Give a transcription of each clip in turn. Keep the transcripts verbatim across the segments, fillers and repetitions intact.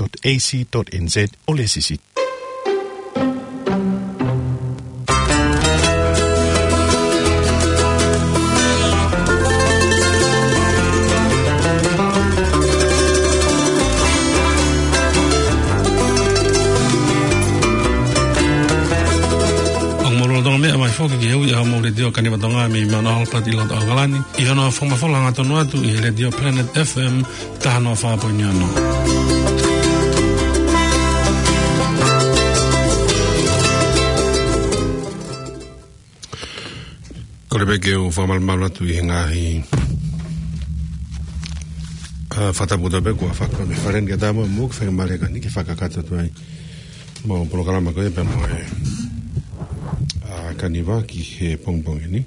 dot A C dot N Z ʻo lēsisita. ʻOku mou lolotonga meʻa mai foki ki he ui ʻa homou letiō Kaniva Tonga mei Mount Albert ʻi loto ʻAokalani, ʻi hono fakamafola hangatonu atu ʻi he letiō Planet F M taha noa fā poini ono. Kole pē ke u fakamalumalu atu ʻi he ngaahi, ʻa, fakatapu kotoa pē kuo fakahoko mei he fale ni ke tau mo ke fakamālō atu ai ke fakakakato atu ai mo e polokalama ko ia pea mo e, ʻa, Kaniva ki he pongipongi ni.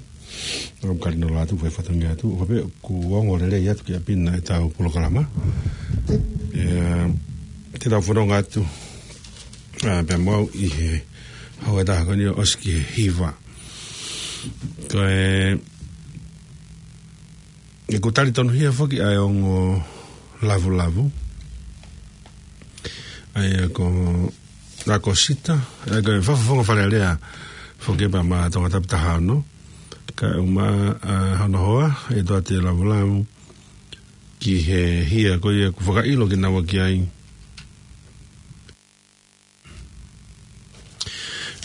ʻOku ou kali noa atu, fai fatongia atu, ʻo pē kuo ongo lelei atu ki ʻapi na ʻetau polokalama. ʻE, te tau fononga atu, ʻa, pea mo au ʻi he houa ʻe taha ko eni ʻo ʻosi ki he hiva. Ko e, ʻoku tali tonuhia foki ʻa e ongo lavulavu. ʻA ia ko ʻAkosita, ʻa ia ko e fakafofonga Fale Alea foki pea mo Tongatapu taha ono. Kae ʻumaʻā, ʻa, hono hoa, ʻe toe ʻi ai e lavulavu ki he hia ko ia ʻoku fakaʻilo kinaua ki ai.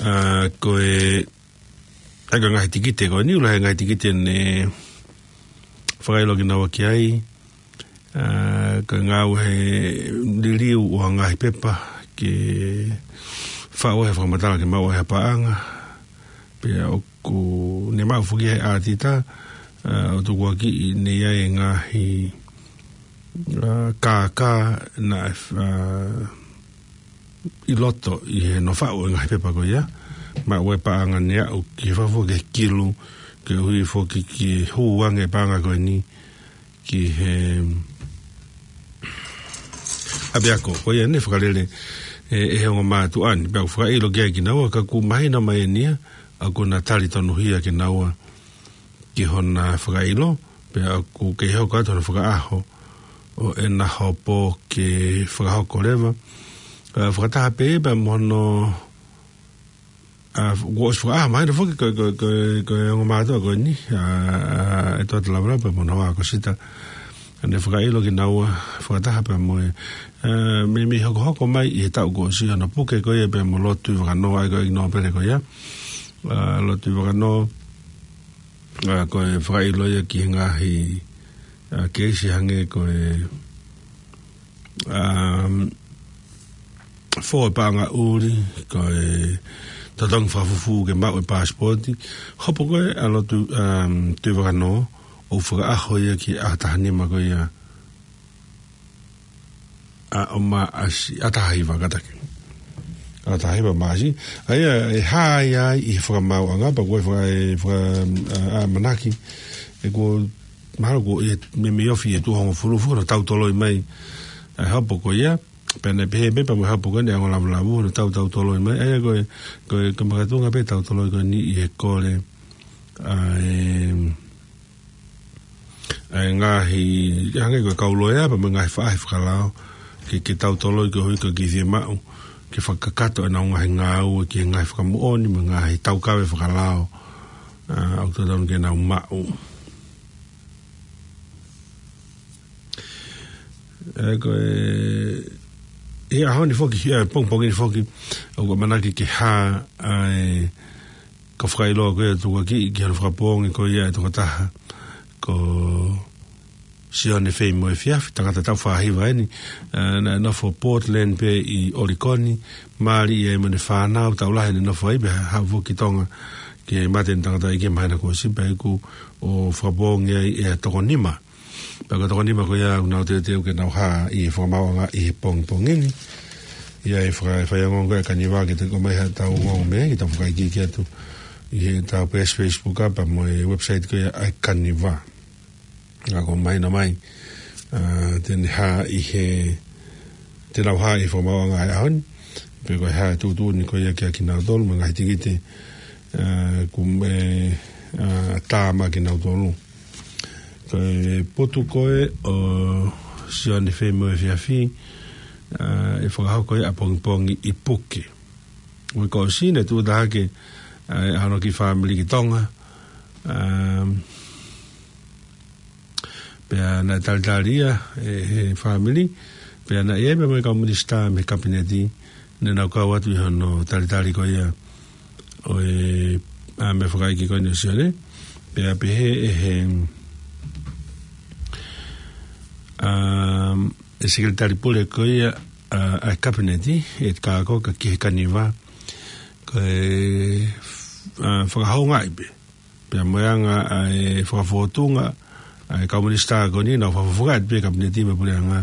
ʻA, ko e, ʻa ia ko e ngaahi tikite ko eni, ʻoku lahi e ngaahi tikite ne fakaʻilo kinaua ki ai, ʻa, ko e ngāue he liliu ʻo e ngaahi pepa ke faʻu ai e fakamatala ke maʻu ai ha paʻanga, pea ʻoku ne maʻu foki ʻe he ʻātita, ʻa, ʻo tukuakiʻi ne ʻi ai e ngaahi, ʻa, kākā naʻe, ʻa, ʻi loto ʻi he hono faʻu e ngaahi pepa ko ia, maʻu e paʻanga ne aʻu ki he fafua ki he kilu, ke ui foki ke hū ange e paʻanga ko eni ki he ʻapiako ko ia ne fakalele ʻe, ʻe he ongo mātuʻa ni, pea ʻoku fakaʻilo ki ai kinaua, ka ʻoku mahino mai eni ia, ʻa, ʻoku na tali tonuhia kinaua ki hona fakaʻilo, pea ʻoku kei hoko atu hona fakaʻaho ʻo ʻena hopo ke fakahoko leva. ʻA, fakataha pē pea mo hono, ʻa, kuo ʻosi fakaʻaho mai ʻena foki ko, ko, ko, ko e ongo mātuʻa ko eni, ʻa, ʻa, ʻe toe atu lavalavu pea mo hono hoa ʻAkosita. ʻA, ne fakaʻilo kinaua, fakataha pea mo e, ʻa, meimei hokohoko mai ʻi he taʻu kuo ʻosi hono puke ko ia pea mo Lord Tuʻivakanō, ʻa ia ko e ʻEiki Nōpele ko ia. ʻA, Lord Tuʻivakanō, ʻa, ko e fakaʻilo ia ki he ngaahi, ʻa, keisi hangē ko e, ʻa, fō e paʻanga ʻuli, ko e totongi fakafufū ke maʻu e passport. Hopo ko ē ʻa Lord, ʻa, Tuʻivakanō, ʻo fakaʻaho ia ki he ʻaho taha nima ko ia ʻa, ʻo Maʻasi, ʻaho taha hiva kātaki. ʻAho taha hiva Maʻasi. ʻA ia, ʻe hā ia ʻi he fakamaauʻanga, pea ko e faka-, ʻe faka-, ʻa, ʻamanaki. ʻE kuo, mahalo kuo ʻi he, meimei ofi ʻi he tuʻo hongofulu, fuʻu tau toloi mai ʻa e hopo ko ia. Pea ne pehē pē pea mo e hopo ko eni ʻa e ongo lavulavu, ne tau tau toloi mai. ʻA ia ko e, ko e, ko e makatuʻunga pē tau toloi ko eni ʻi he kole ʻa e, ʻa e ngaahi, hangē ko e kau loea pea mo e ngaahi faʻahi fakalao, ke, ke tau toloi koeʻuhi ko e kiʻi fiemaʻu ke fakakakato ʻenau ngaahi ngāue ki he ngaahi fakamoʻoni mo e ngaahi taukave fakalao, ʻa, ʻoku totonu ke nau maʻu. ʻE, ko e, ʻi he ʻaho ni foki, ʻi he pongipongi ni foki, ʻoku ʻamanaki ke hā ʻa e, ko e fakaʻilo ko ia ʻoku tukuakiʻi ki hono fakapoongi ko ia e tokotaha ko Sione Feimoefiafi, tangata taʻu fā hiva eni, ʻa, naʻe nofo Portland pē ʻi ʻOlikoni, mali ia mo ʻene fānau, taʻu lahi ne nofo ai pea haʻu foki ki Tonga, ke mate ʻene tangataʻeiki he māhina kuo ʻosi pea ʻoku fakapoongi ai ʻe toko nima. Pea ko e toko nima ko ia ʻoku nau teuteu ke nau hā ʻi he fakamaauʻanga ʻi he pongipongi ni. ʻA ia ʻe faka-, fai ongoongo ko ē ʻa e Kaniva ke te ko mai ha tau ongoongo mei ai, ke tau fakaikiiki atu ʻi heʻetau peesi Facebook pea mo e website ko ia ʻa e Kaniva. ʻA, ʻoku mahino mai, ʻa, te ne hā ʻi he, te nau hā ʻi he fakamaauʻanga ʻo e ʻaho ni. Pea ko e hā e tuʻutuʻuni ko ia kiate kinautolu mo e ngaahi tikite, ʻa, ʻoku, ʻe, ʻa, tā maʻa kinautolu. Ko e potu ko ē ʻo Sione Feimoefiafi, ʻa, ʻe fakahoko ʻi ʻapongipongi ʻi Puke. Uike kuo ʻosi naʻe tuʻu hake, ʻa, ʻa hono kiʻi fāmili ki Tonga. ʻA, pea naʻe talitali ia ʻe he fāmili, pea naʻe ʻi ai pē mo e kau minisitā mei he kapineti, ne nau kau atu ʻi hono talitali ko ia ʻo e, ʻa, meʻa fakaʻeiki ko eni ʻo Sione, pea pehē ʻe he, ʻa, ʻe he sekelitali pule ko ia, ʻa, ʻa e kapineti, ʻe kākā ki he Kaniva, ko e, ʻa, fakahoungaʻi pē. Pea mo e anga ʻa e fakafōtunga ʻa e kau minisitā ko eni, nau fakafofongaʻi pē kapineti mo e puleʻanga,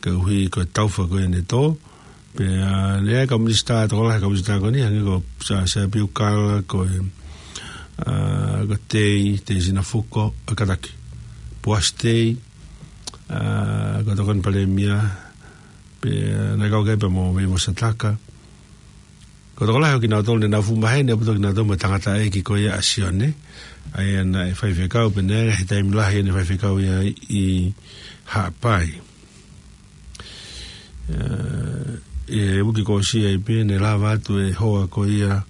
koeʻuhi ko e taufa ko eni ʻe tō. Pea, ʻa, ne ʻi ai e kau minisitā, tokolahi e kau minisitā ko eni, hangē ko Sa-, Siaosi Piukala, ko e, ʻa, ko Tei, Tei Sinafuko, ʻa, kātaki. Poasi Tei, ʻa, ko e tokoni palēmia, pea naʻe kau ki ai pē mo Veivo Sataka. Ko e tokolahi ʻo kinautolu ne nau fuʻu maheni ʻaupito kinautolu mo e tangataʻeiki ko ia ʻa Sione. ʻA ia naʻe faifekau pē ʻeni he taimi lahi ʻene faifekau ia ʻi Haʻapai. ʻE, ʻi he uike kuo ʻosi ai pē ne lava atu e hoa ko ia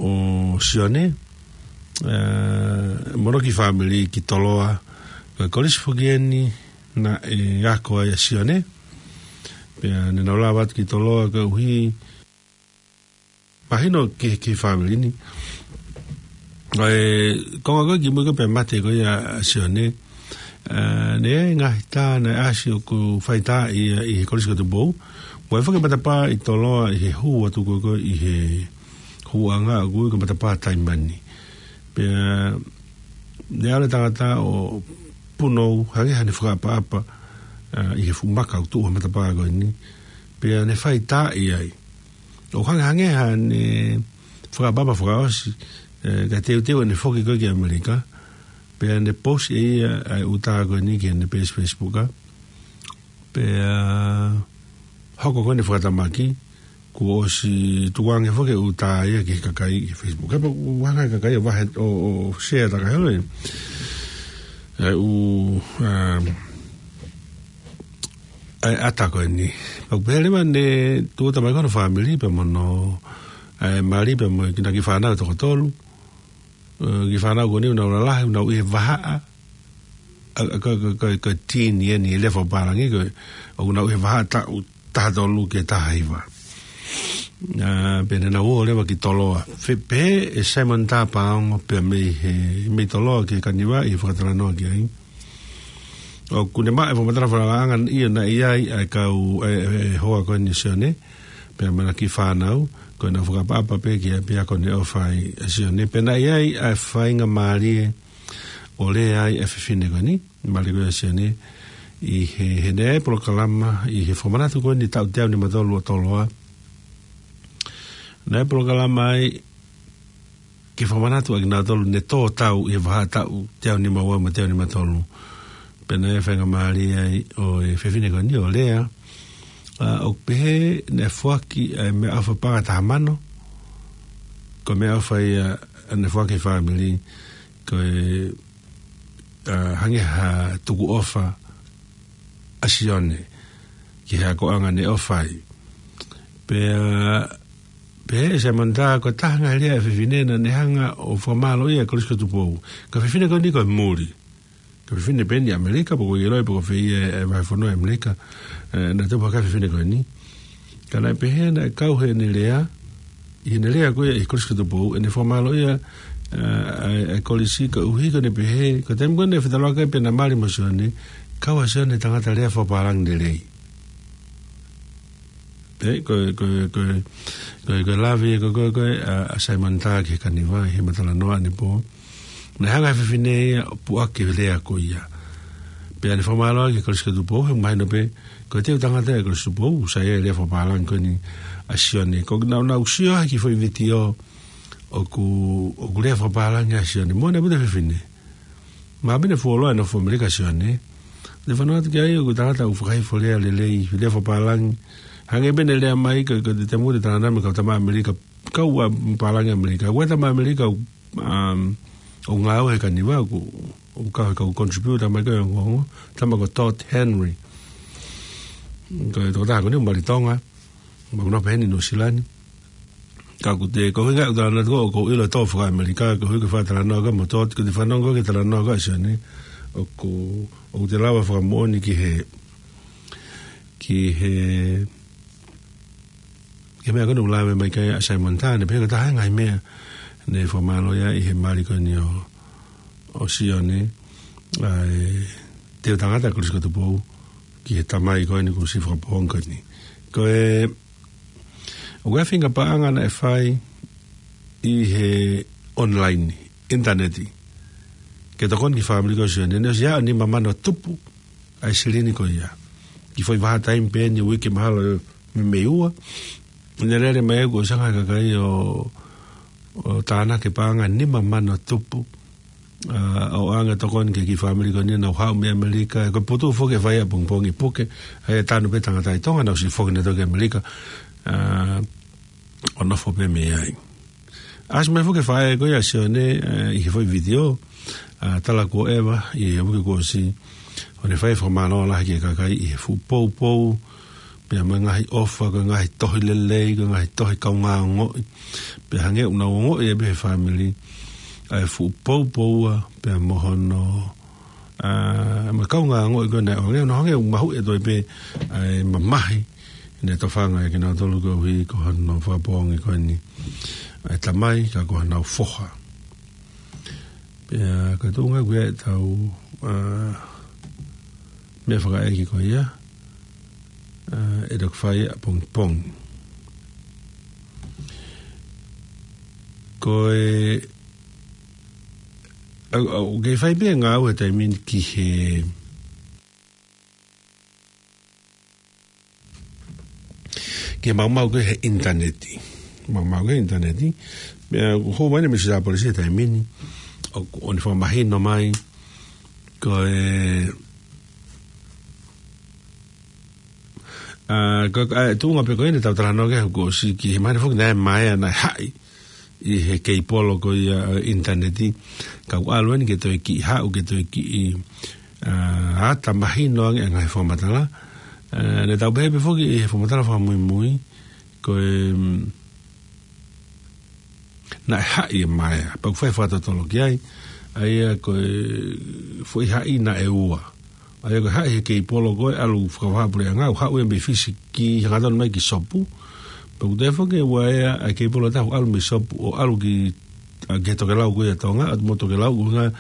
ʻo Sione, ʻe, mo hono kiʻi fāmili ki Toloa, ko e kolisi foki eni naʻe ako ai ʻa Sione. Pea ne nau lava atu ki Toloa koeʻuhi mahino ki, ki he fāmili ni. ʻE, konga ko ē kimuʻa ko ē pea mate ko ia ʻa Sione, ʻe, ne ʻi ai e ngaahi tā naʻe ʻasi ʻoku fai tā ia ʻi he Kolisi ko Tupou. Mo e foki matapā ʻi Toloa ʻi he hū atu ko ē ko ē ʻi he hūʻanga ʻoku ui ko e matapā Taimani. Pea ne ʻalu e tangata ʻo punou, hangē haʻane fakaʻapaʻapa, ʻa, ʻi he fuʻu maka ʻoku tuʻu he matapā ko eni. Pea ne fai tā ia ai. ʻO hangē, hangē haʻane fakaʻapaʻapa fakaʻosi, ʻe, kae teuteu ʻene foki ko ē ki ʻAmelika. Pea ne post ʻe ia ʻa e ʻū tā ko eni ki heʻene peesi Facebook. Pea hoko ko eni e fakatamaki, kuo ʻosi tukuange foki e ʻū tā ia ki he kakai ʻi he Facebook. Kapau ʻoku hanga ʻe he kakai ʻo vahe ʻo, ʻo share taka holo e, ʻa e ʻū, um, ʻa e ʻata ko eni. Pea ʻoku pehē leva ne tuʻuta mai ko hono fāmili pea mo hono, ʻa e mali pea mo e kiʻi fānau ʻe toko tolu. ʻE, kiʻi fānau ko eni ʻoku nau lalahi, ʻoku nau ʻi he vahaʻa. ʻA, ʻa, ko, ko, ko, ko e teen eni, ʻi he lea fakapālangi, ko e, ʻoku nau ʻi he vahaʻa taʻu taha tolu ki he taha hiva. ʻA, pea ne nau ō leva ki Toloa. Fe-, pehē ʻe Simon Tapaongo pea mei he, mei Toloa ki he Kaniva ʻi he fakatalanoa ki ai. ʻOku ne maʻu e fakamatala fakalaʻanga ia naʻe ʻi ai ʻa e kau, ʻe, ʻe, ʻe hoa ko eni ʻo Sione, pea mo ʻena kiʻi fānau, ko ʻena fakaʻapaʻapa pē ki ai pea ko ʻene ʻofa ai ʻa Sione. Pea naʻe ʻi ai ʻa e faingamālie ʻo lea ai ʻa e fefine ko eni, mali ko ia ʻo Sione, ʻi he, he naʻe ʻi ai e polokalama, ʻi he fakamanatu ko eni taʻu teau nima tolu ʻo Toloa. Naʻe ʻi ai e polokalama ai, ke fakamanatu ʻa kinautolu ne tō tau ʻi he vahaʻa taʻu teau nima ua mo e teau nima tolu. Pea naʻe faingamālie ai ʻo e fefine ko eni ʻo lea, ʻa, ʻo pehē naʻe foaki ʻa e meʻaʻofa paʻanga ʻe taha mano, ko e meʻaʻofa ia naʻe foaki ʻe he fāmili, ko e, ʻa, hangē ha tukuʻofa ʻa Sione ki he akoʻanga ne ʻofa ai. Pea, pehē ʻe Simon Tā, ko e taha e ngaahi lea ʻa e fefine naʻa ne hanga ʻo fakamālōʻia e Kolisi ko Tupou. Ko e fefine ko eni ko e muli. Ko e fefine pē eni ʻi ʻAmelika, pe ko e ʻilo pe ko fē ia e vahefonua ʻi ʻAmelika, ʻe, naʻe tupu hake ai e fefine ko eni. Ka naʻe pehē naʻe kau heʻene lea, ʻi heʻene lea ko ia ʻi he Kolisi ko Tupou, ʻene fakamālōʻia, ʻa, ʻa, ʻa e kolisi koeʻuhi ko ʻene pehē, ko e taimi ko ē naʻe fetaulaki ai pea naʻe mali mo Sione, kau ʻa Sione tangata lea fakapālangi lelei. Pea ko, ko, ko, ko, ko e lave ko, ko, ko, ʻa, ʻa Simon Tā ki he Kaniva, ʻi he fakatalanoa ʻanepō. Naʻe hanga ʻe he fefine ia ʻo puʻaki e lea ko ia. Pea ne fakamālō ki he Kolisi ko Tupou, he mahino pē, ko e teu tangata ʻa e Kolisi ko Tupou, sai e lea fakapālangi ko eni ʻa Sione. Ko ʻenau, nau sio he kiʻi foʻi vitiō ʻoku, ʻoku lea fakapālangi ʻa Sione. Mo ne puta fefine. Mahalo pē naʻe fuoloa ʻene nofo ʻAmelika ʻa Sione. Te fanongo atu ki ai ʻoku tangata ʻoku fakahifo lea lelei, lea fakapālangi. Hangē pē ʻene lea mai, ko, ko e taimi ko ē te tangata mai kau tama ʻAmelika, kau ʻa pālangi ʻAmelika. Ko e tama ʻAmelika, um, ʻoku ngāue he Kaniva, ʻoku, ʻoku kau he kau contributor mai ko e ongoongo, tama ko Todd Henry. Ko e tokotaha ko eni ʻoku mali Tonga, ʻoku nofo pē heni Nuʻusila ni. Ka ʻoku te, ko e ʻuhinga ʻeku talanoa atu ko ē, ʻoku ou ʻilo ʻe tō faka-ʻAmelika, ko e ʻuhinga ke fai talanoa ko ē mo Todd, ko e te fanongo ko ē ki he talanoa ko ē ʻa Sione, ʻoku, ʻoku te lava fakamoʻoni ki he, ki he, ki he meʻa ko ē naʻe lave mai ki ai ʻa Simon Tan, pea ko e taha e ngaahi meʻa naʻe fakamālō ai ʻi he mali ko eni ʻo, ʻo Sione, ʻa e teu tangata Kolisi ko Tupou, ki he tamai ko eni kuo ʻosi fakapoongi ko eni. Ko e, ʻoku ʻi ai e faʻahinga paʻanga naʻe fai ʻi he online, ʻinitaneti, ke tokoni ki he fāmili ko ē ʻo Sione, naʻe ʻosi ʻi ai ʻa e nima mano tupu ʻa e silini ko ia. Ki he foʻi vahaʻa taimi pē eni, uike mahalo meimei ua. Naʻe lele mai ʻoku ʻosi anga he kakai ʻo, ʻo tānaki e paʻanga nima mano tupu. ʻA, ʻo ʻoange tokoni ki he kiʻi fāmili ko eni naʻa nau haʻu mei ʻAmelika. Ko e putu foki ʻe fai ʻapongipongi puke. ʻA e tanu pē tangata ʻi Tonga naʻa nau ʻosi foki nautolu ki ʻAmelika. ʻA, ʻo nofo pē mei ai. ʻAsi mai foki e faʻē ko ia ʻa Sione, ʻa, ʻi he foʻi vitiō, ʻa, tala kuo ʻeva, ʻi he uike kuo ʻosi, ʻo ne fai e fakamālō lahi ki he kakai ʻi he fuʻu poupou, pea mo e ngaahi ʻofa, ko e ngaahi tohi lelei, ko e ngaahi tohi kaungāongoʻi, pea hangē ʻoku nau ongoʻi ʻe pē he fāmili, ʻa e fuʻu poupou ʻa, pea mo hono, ʻa, mo e kaungāongoʻi ko ē naʻe ʻoange, ʻo hangē ʻoku mahuʻi ʻe toe pē, ʻa e mamahi, naʻe tofanga ʻe kinautolu koeʻuhi ko hono fakapoongi ko eni ʻa e tamai, ka ko honau foha. Pea ko e tuʻunga ko ia ʻetau, ʻa, meʻa fakaʻeiki ko ia, ʻa, ʻe toki fai ʻapongipongi. Ko e, ʻa, ʻa, ʻoku kei fai pē ngāue he taimi ni ki he, ki he maumau ko ē he ʻinitaneti. Maumau ko ē he ʻinitaneti. Pea ʻoku hū mai ʻa e Minisitā Polisi he taimi ni, ʻo, ʻo ne fakamahino mai, ko e, ʻa, ko, ʻa, tuʻunga pē ko ē naʻa tau talanoa ki ai kuo ʻosi ki he mahino foki naʻe maea, naʻe haʻi ʻi he keipolo ko ia, ʻa, ʻinitaneti, ka ʻoku ʻalu eni ke toe kiʻi haʻu, ke toe kiʻi, ʻa, ʻata mahino ange ʻa e ngaahi fakamatala. ʻA, naʻa tau pehē pē foki ʻi he fakamatala fakamuimui, ko e, mm, naʻe haʻi ʻe maea, pea ʻoku fai fakatotolo ki ai, ʻa ia ko e foʻi haʻi naʻe ua. ʻA ia ko e haʻi he keipolo ko ē ʻalu fakavahaʻapuleʻanga, ʻo haʻu ia mei Fisi ki hangatonu mai ki Sopu. Pea ʻoku toe foki ʻe ua ʻa e keipolo ʻe taha ʻalu mei Sopu ʻo ʻalu ki, ʻa, ki he tokelau ko ia ʻa Tonga, ʻalu mo tokelau ko ē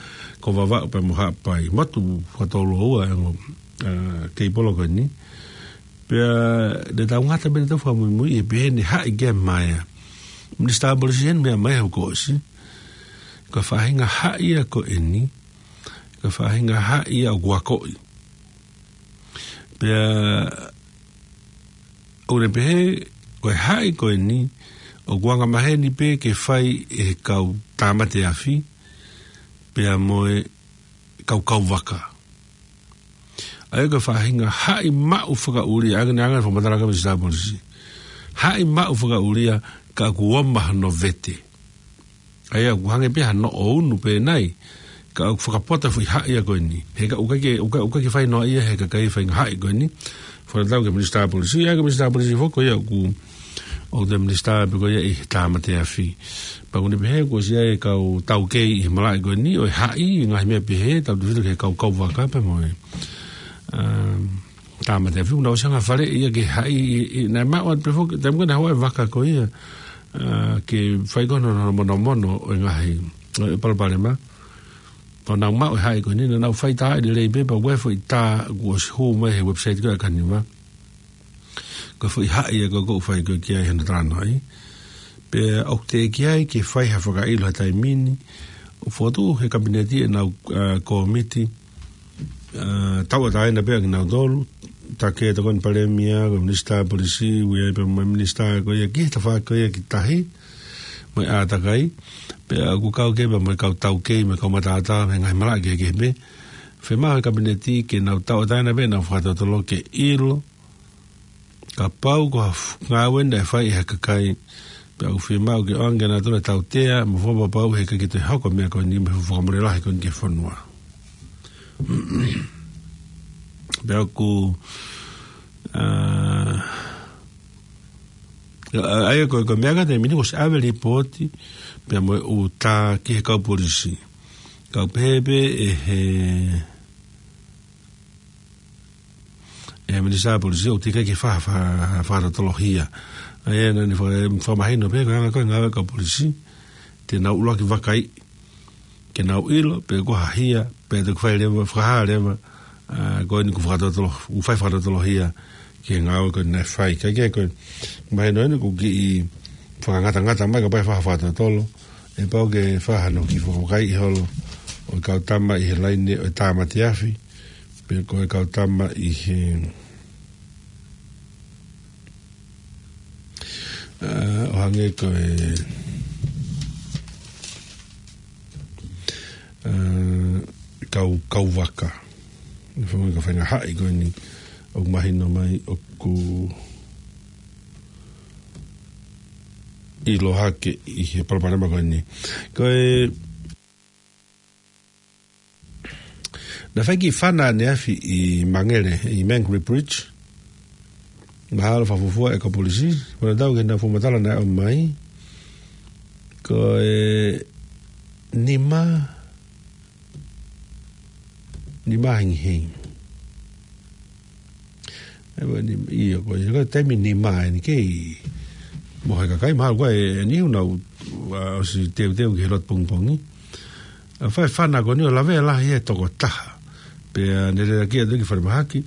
ʻa Vavaʻu pea mo Haʻapai. Motu fakatouloua ʻa e ongo, ʻa, keipolo ko eni. Pea naʻa tau ngata pē naʻa tau fakamuimui ʻi he pehē naʻe haʻi ki ai ʻe maea. Minisitā Polisi eni meʻa mai he uike kuo ʻosi. Ko e faʻahinga haʻi ia ko eni, ko e faʻahinga haʻi ia ʻoku akoʻi. Pea ʻoku ne pehē, ko e haʻi ko eni, ʻoku angamaheni pē ke fai ʻe he kau tāmate afi, pea mo e kau kauvaka. ʻA ia ko e faʻahinga haʻi maʻu fakaʻulia, ʻa ia ko e anga e fakamatala ʻa e Minisitā Polisi. Haʻi maʻu fakaʻulia ka ʻoku ʻomai hono vete. ʻA ia ʻoku hangē pē hano ʻounu pē nai, ka ʻoku fakapotoʻi e foʻi haʻi ia ko eni. He ka ʻoku ʻikai ke, ʻoku ʻikai, ʻoku ʻikai ke fai noaʻia ʻe he kakai e faʻahinga haʻi ko eni. Fakatatau ki he Minisitā Polisi, ʻa ia ko e Minisitā Polisi foki ko ia ʻoku, ʻoku te Minisitā pē ko ia ʻi he tāmate afi. Pea ʻoku ne pehē kuo ʻosi ʻi ai e kau taukei ʻi he malaʻe ko eni, ʻo e haʻi, ngaahi meʻa pehē, tautefito ki he kau kauvaka pea mo e, um, tāmate afi, ʻoku nau ʻosi anga fale ia ke haʻi, ʻi, ʻi, naʻe maʻu atu pē foki, taimi ko ē naʻe haʻu ai e vaka ko ia, ʻa, ke fai ko ē hono, hono monomono ʻo e ngaahi, ʻo e palopalema. Pea nau maʻu e haʻi ko eni, naʻa nau fai tā ʻi lelei pē, pea ʻoku ʻi ai e foʻi tā kuo ʻosi hū mai he website ko ē ʻa e Kanima. Ko e foʻi haʻi ia ko ē ʻoku fai ko ē ki ai hono talanoaʻi. Pea ʻoku teʻeki ai ke fai ha fakaʻilo he taimi ni. ʻOku fokotuʻu he Kapineti ʻenau, ʻa, kōmiti, ʻa, tauʻatāina pē ʻa kinautolu, Take Tokoni Palēmia, ko e Minisitā Polisi, ʻoku ʻi ai pē mo e Minisitā ko ia ki he tafaʻaki ko ia ki tahi, mo e ʻātakai, pea ʻoku kau ki ai pē mo e kau taukei, mo e kau mataʻatā, mo e ngaahi malaʻe kehekehe pē. Fiemaʻu he Kapineti ke nau tauʻatāina pē ʻenau fakatotolo ke ʻilo, kapau ko ha f-, ngāue naʻe fai ʻe ha kakai, pea ʻoku fiemaʻu ke ʻoange ʻe nautolu e tautea, mo fakapapauʻi he ʻikai ke toe hoko e meʻa ko eni, mo e fuʻu fakamole lahi ko eni ki he fonua. Pea ʻoku ʻA, ʻa ia ko e, ko e meʻa ka te mini ko se ʻave lipooti, pea mo e ʻuta ki he kau polisi. Kau pehē pē ʻe he, ʻe he minisitā polisi ʻoku teʻeki ke fa-, fa-, fakatotolo hia. ʻA ia naʻa ne fa-, fakamahino pē ko e anga ko e ngāue kau polisi, te nau ʻuluaki vakai, ke nau ʻilo, pe ko ha hia, pe te ku fai leva, fakahā leva, ʻa, ko eni ku fakatotolo, ku fai fakatotolo hia, ke ngāue ko eni naʻe fai. Ka ke ko e, mahino eni ku kiʻi fakangatangata mai ka pai fa-, fakatotolo, ʻe pau ke fa hano ki fakakai ʻi holo, ʻo e kau tama ʻi he laine, ʻo e tāmate afi, pe ko e kau tama ʻi he, ʻa, ʻo hangē ko e, ʻa, kau, kau vaka. Fanga ka fanga haʻi ko eni ʻoku mahino mai ʻoku ʻilo hake ʻi he palopalema ko eni. Ko e naʻe fai kiʻi fana ʻaneafi ʻi Mangere, ʻi Mangere Bridge. Mahalo fakafuofua ʻe kau polisi, ko e tau ke na fakamatala naʻe ʻomai. Ko e nima, nima hengihengi. ʻE, ʻio, ko e, ko e taimi nima eni kei mo he kakai, mahalo ko e, eni ʻoku nau, ʻa, ʻosi teuteu ki he lotu pongipongi. ʻA, fai fana ko eni ʻo lavea lahi e tokotaha. Pea ne lelaki atu ki falemahaki.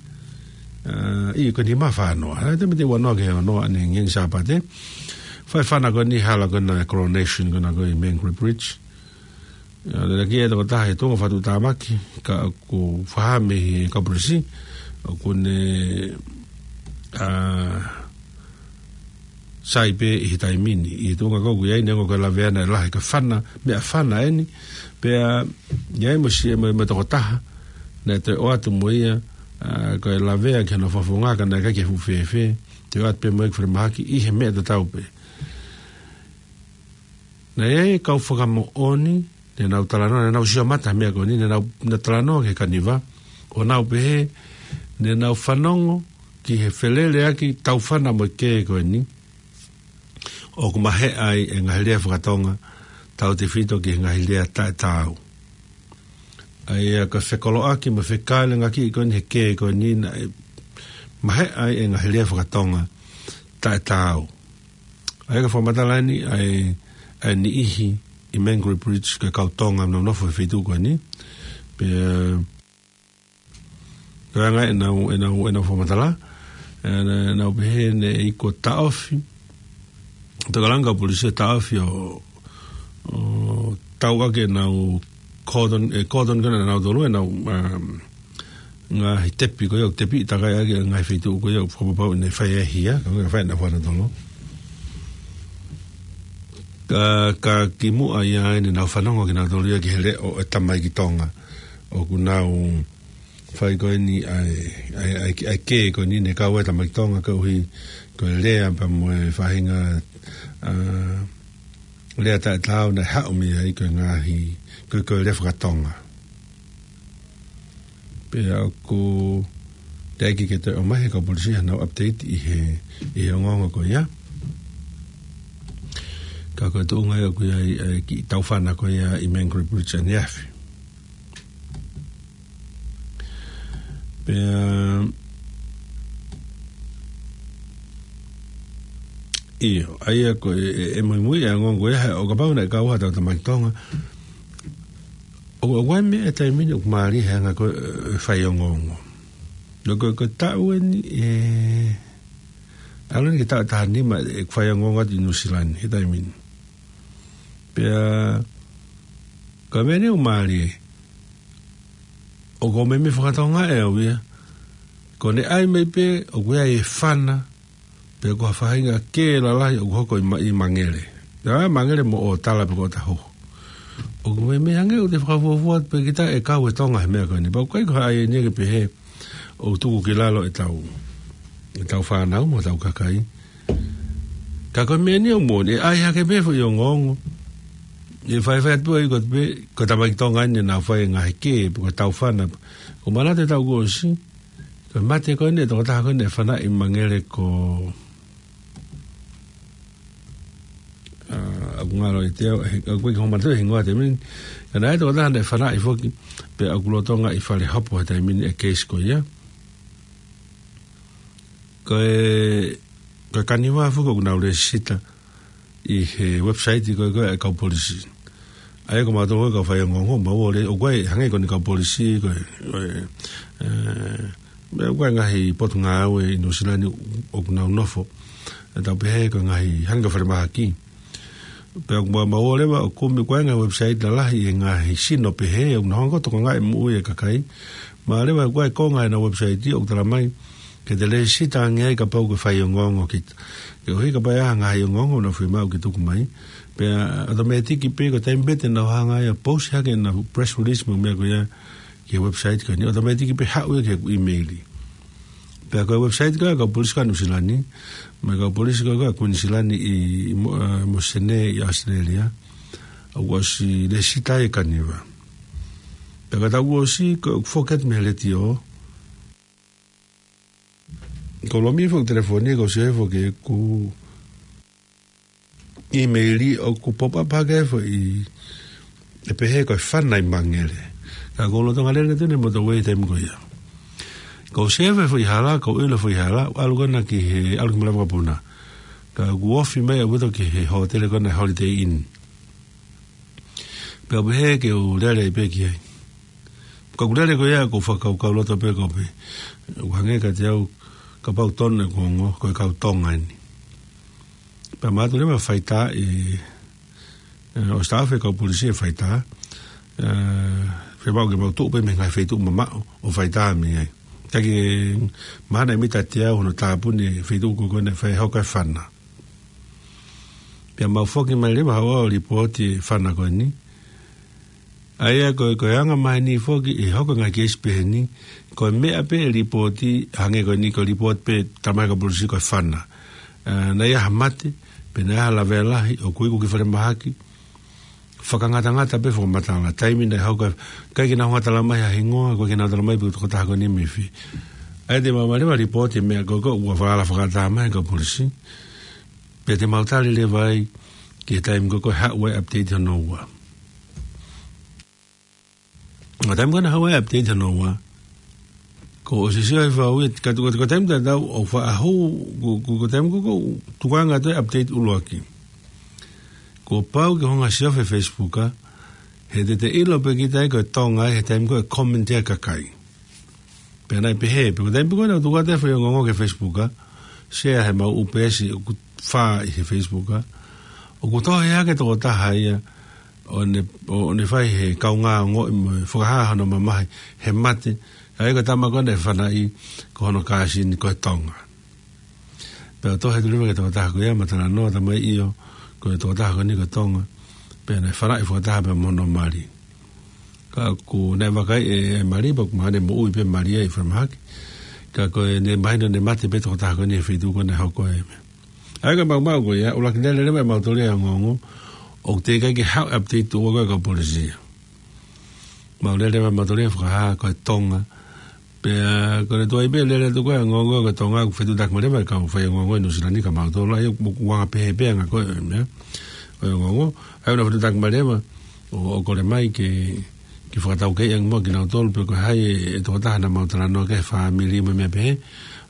ʻA, ʻio ko e nima fānoa. ʻA, te mete ua noa ki he ono ʻanengiengi Sāpate. Fai fana ko eni hala ko ena coronation ko ena ko e Mangere Bridge. ʻA, lelaki e tokotaha he tuʻunga fakatuʻutāmaki, ka ʻoku fakahā mei he kau polisi, ʻoku ne, ʻa, sai pē ʻi he taimi ni, ʻi he tuʻunga ko ē ʻoku ʻi ai neongo ko e lavea naʻe lahi ka fana, meʻa fana eni, pea ʻi ai mo si-, mo, mo e tokotaha, naʻe toe ʻoatu mo ia, ʻa, ko e lavea ki hono fofonga ka naʻe ʻikai ke fuʻu fēfē, toe ʻoatu pē mo ia ki falemahaki ʻi he meʻa tatau pē. Naʻe ʻi ai e kau fakamoʻoni, ne nau talanoa, ne nau sio mata meʻa ko eni, ne nau, ne talanoa ki he kaniva, ʻo nau pehē, ne nau fanongo ki he feleleʻaki taufana mo e kē ko eni, ʻoku maheʻa ai e ngaahi lea fakatonga, tautefito ki he ngaahi lea taʻetaau. ʻA ia ko e fekoloʻaki mo e fekāleʻaki ko eni he kē ko eni naʻe maheʻa ai e ngaahi lea fakatonga taʻetaau. ʻA ia ko e fakamatala eni, ʻa e, ʻa e niʻihi ʻi Mangere Bridge ko e kau Tonga naʻa nau nofo he feituʻu ko eni. Pea, ko e anga ʻenau, ʻenau, ʻenau fakamatala, ʻe, nau pehē ne ʻi ai ko e taʻofi, tokanga kau polisi ʻo taʻofi ʻo, ʻo tau ake ʻenau cordon, ʻe cordon ko ena ʻenau tolu, ʻenau, um, ngaahi tepi ko ia, tepi takai ake ngaahi feituʻu ko ia, fakapapau ne fai e hia, ka ko e fai na fana tolo. Ka, ka kimuʻa ia ʻa eni nau fanongo kinautolu ia ki he leʻo ʻo e tamaiki Tonga. ʻOku nau fai ko eni ʻa e, ʻa e, ʻa e, ʻa e kē ko eni ne kau ai e tamaiki Tonga koeʻuhi ko e lea pea mo e faʻahinga, ʻa, lea taʻetaau naʻe haʻu mei ai ko e ngaahi, ko e, ko e lea fakatonga. Pea ʻoku teʻeki ke toe ʻomai he kau polisi hanau update ʻi he, ʻi he ongoongo ko ia. Ka ko e tuʻunga ia ʻoku ʻi ai, ʻa e kiʻi taufana ko ia ʻi Mangere Bridge ʻaneafi. Pea, ʻio, ʻa ia ko e, ʻe, ʻe muimui e ongoongo ia, he ʻo kapau naʻe kau ha tau tamaiki Tonga. ʻO, ʻo ʻai meʻa e taimi ni ʻoku mālie he anga ko e, ʻe fai ongoongo. Lo ko, ko e taʻu eni, ʻe, ʻalu eni ki he taʻu ʻe taha nima ʻeku fai ongoongo atu ʻi Nuʻusila ni, he taimi ni. Pea, ko e meʻa ni ʻoku mālie. ʻOku ou meimei fakatonga ʻe au ia. Ko ʻene ʻai mai pē, ʻoku ʻi ai e fana, pe ko ha faʻahinga kē lalahi ʻoku hoko ʻi Ma-, ʻi Mangere. ʻA, Mangere mo ʻOtala pe ko ʻOtahuhu. ʻOku meimei hangē ʻoku te fakafuofua pē kita ʻe kau e Tonga he meʻa ko eni. Pea ʻoku ʻikai ko ha ʻai eni ke pehē ʻoku tuku ki lalo ʻetau, ʻetau fānau mo ʻetau kakai. Ka ko e meʻa ni ʻoku moʻoni, ʻe ʻai hake pē foʻi ongoongo. ʻE faifai atu ai ko e pē, ko e tamaiki Tonga eni naʻa nau fai e ngaahi kē, pe ko e taufana. ʻOku ou manatu he taʻu kuo ʻosi, Ko e mate ko eni ʻa e tokotaha ko eni ʻe fanaʻi mangele ko, ʻa, ʻoku ngalo ʻiate au, he, ʻoku ʻikai ke u manatuʻi e hingoa he taimi ni. Ka naʻe ʻi ai e tokotaha naʻe fanaʻi foki, pea ʻoku lolotonga ʻi fale hopo he taimi ni e case ko ia. Ko e, ko e kaniva foki ʻoku nau lēsisita ʻi he website ko ē ko ē ʻa e kau polisi. ʻA ia ko mautolu ko ē kau faiongoongo, mau ō leva, ʻoku ʻi ai, hangē ko eni kau polisi, ko e, ko e, ē, ʻoku ʻi ai e ngaahi potungāue ʻi Nuʻusila ni ʻoku nau nofo. ʻE tau pehē ko e ngaahi hangē ko e falemahaki. Pea ʻoku mau, mau ō leva ʻo kumi ko e ngaahi website lalahi ʻi he ngaahi sino pehē, ʻoku nau hanga ʻo tokangaʻi e moʻui e kakai. Mahalo leva ʻoku ʻi ai e konga ʻenau website ʻoku tala mai, ke te lēsisita ange ai kapau ʻoku ke faiongoongo kita. Koeʻuhi kapau ʻe ʻi ai ha ngaahi ongoongo ʻoku nau fiemaʻu ke tuku mai, pea ʻotomētiki pē ko e taimi pē te nau hanga ai ʻo post hake ʻenau press release mo e meʻa ko ia ki he website ko eni, ʻotomētiki pē haʻu ia ki heʻeku email. Pea ko e website ko ē ʻa e kau polisi ko ē ʻa Nuʻusila ni, mo e kau polisi ko ē ʻa Kuinisilani ʻi, ʻi Mo-, ē, Mōsese ʻi ʻAositelēlia, ʻoku ʻosi lēsisita e kaniva. Pea ka tau ʻosi, ko ʻeku foki atu mei he letiō, ko e lomi foki e telefoni, ko e sio hifo ki heʻeku email ʻoku pop up hake foʻi, ʻe pehē ko e fanaʻi mangele. Ka ʻoku ou lolotonga lele atu ʻi he motorway he taimi ko ia. Ko e sio hifo foʻi hala, ko e ʻilo foʻi hala, ʻalu ko ena ki he, ʻalu ki Malaʻe Vakapuna. Ka ʻoku ofi mai ʻaupito ki he hōtele ko ena Holiday Inn. Pea u pehē ke u lele ai pē ki ai. Ka ʻoku ou lele ko ia ʻoku ou fakakaukauloto pē ko e pē, ʻoku hangē kiate au kapau tonu ʻeku ongo, ko e kau Tonga eni. Pea mau ō leva ʻo faitā ʻi, ē, ʻo staff e kau polisi ʻo faitā, ē, fiemaʻu ke mau tuʻu pē mei he ngaahi feituʻu mamaʻo ʻo faitā mei ai. Ka ʻikai ke mahino ʻe mita ʻiate au hono tāpuni e feituʻu ko ē ko ena ʻe fai hoko ai e fana. Pea mau foki mai leva ʻo ʻai e lipooti e fana ko eni. ʻA ia ko e, ko e anga maheni foki ʻi he hoko e ngaahi keisi pehē ni, ko e meʻa pē e lipooti, hangē ko eni ko e lipooti pē tala mai ʻe he kau polisi ko e fana. Ē, naʻe ʻi ai ha mate, pe naʻe ʻi ai ha lavea lahi, ʻoku ʻi ai e kiʻi falemahaki, fakangatangata pē fakamatala, taimi naʻe hoko ai, ʻikai ke nau hanga ʻo tala mai ha hingoa, ʻikai ke nau tala mai pe ko e tokotaha ko eni mei fē. ʻA ia te mau ʻomai leva e lipooti e meʻa ko ē ko ē ʻoku falala fakaʻatā mai ʻe he kau polisi. Pea te mau tali leva ai ki he taimi ko ē ko ē ʻe haʻu ai e update hono ua. Ko e taimi ko ē naʻe haʻu ai e update hono ua, kuo u ʻosi sio hifo au ia, ka ko e, ko e taimi tatau ʻoku faʻa hū, ko e, ko e, ko e taimi ko ē ʻoku tukuange atu ai e update ʻuluaki, kuo pau ke u hanga ʻo siofi e Facebook, ā, he te te ʻilo pē kita ia ko e Tonga ia he taimi ko ē ʻe comment ai e kakai. Pea naʻe pehē, pea ko e taimi pē ko ē naʻa ku tuku atu e faiongoongo ki he Facebook, ā, share he mau ʻū peesi ʻoku fā ʻi he Facebook, ā, ʻoku tohi hake e tokotaha ia ʻo ne, ʻo, ʻo ne fai e kaungā ongoʻi mo e fakahā hono mamahi he mate ʻa e tama ko ē naʻe fanaʻi, ko hono kāsini ko e Tonga. Pea tohi atu leva ki he tokotaha ko ia, mo talanoa, talamai ʻio, ko e tokotaha ko eni ko e Tonga, pea naʻe fanaʻi fakataha pea mo hono mali. Ka ʻoku ne vakai e, e mali, pea ʻoku mahino ʻe moʻui pē e mali ia ʻi falemahaki. Ka ko ʻene mahino naʻe mate pē e tokotaha ko eni he feituʻu ko ē naʻe hoko ai e meʻa. ʻA ia ko e maumau ko ia, ʻuluaki lele leva ʻe mautolu e ongoongo, ʻoku teʻeki ai ke haʻu e update ʻo e kau polisi. Mau lele leva ʻe mautolu e fakahā ko e Tonga. Pea ko ʻene tuai pē lele atu ko ē e ongoongo ko e Tonga, ʻoku fetuʻutaki mai leva e kau faiongoongo ʻi Nuʻusila ni kia mautolu, ʻa ia ʻoku anga pehē pē ʻa e anga ko ē e meʻa, ʻo e ongoongo. ʻA ia ʻoku nau fetuʻutaki mai leva ʻo, ʻo kole mai ke, ke fakataukeiʻi ange muʻa kinautolu pe ko hai e, e tokotaha naʻa mau talanoa ki ai, fāmili mo e meʻa pehē.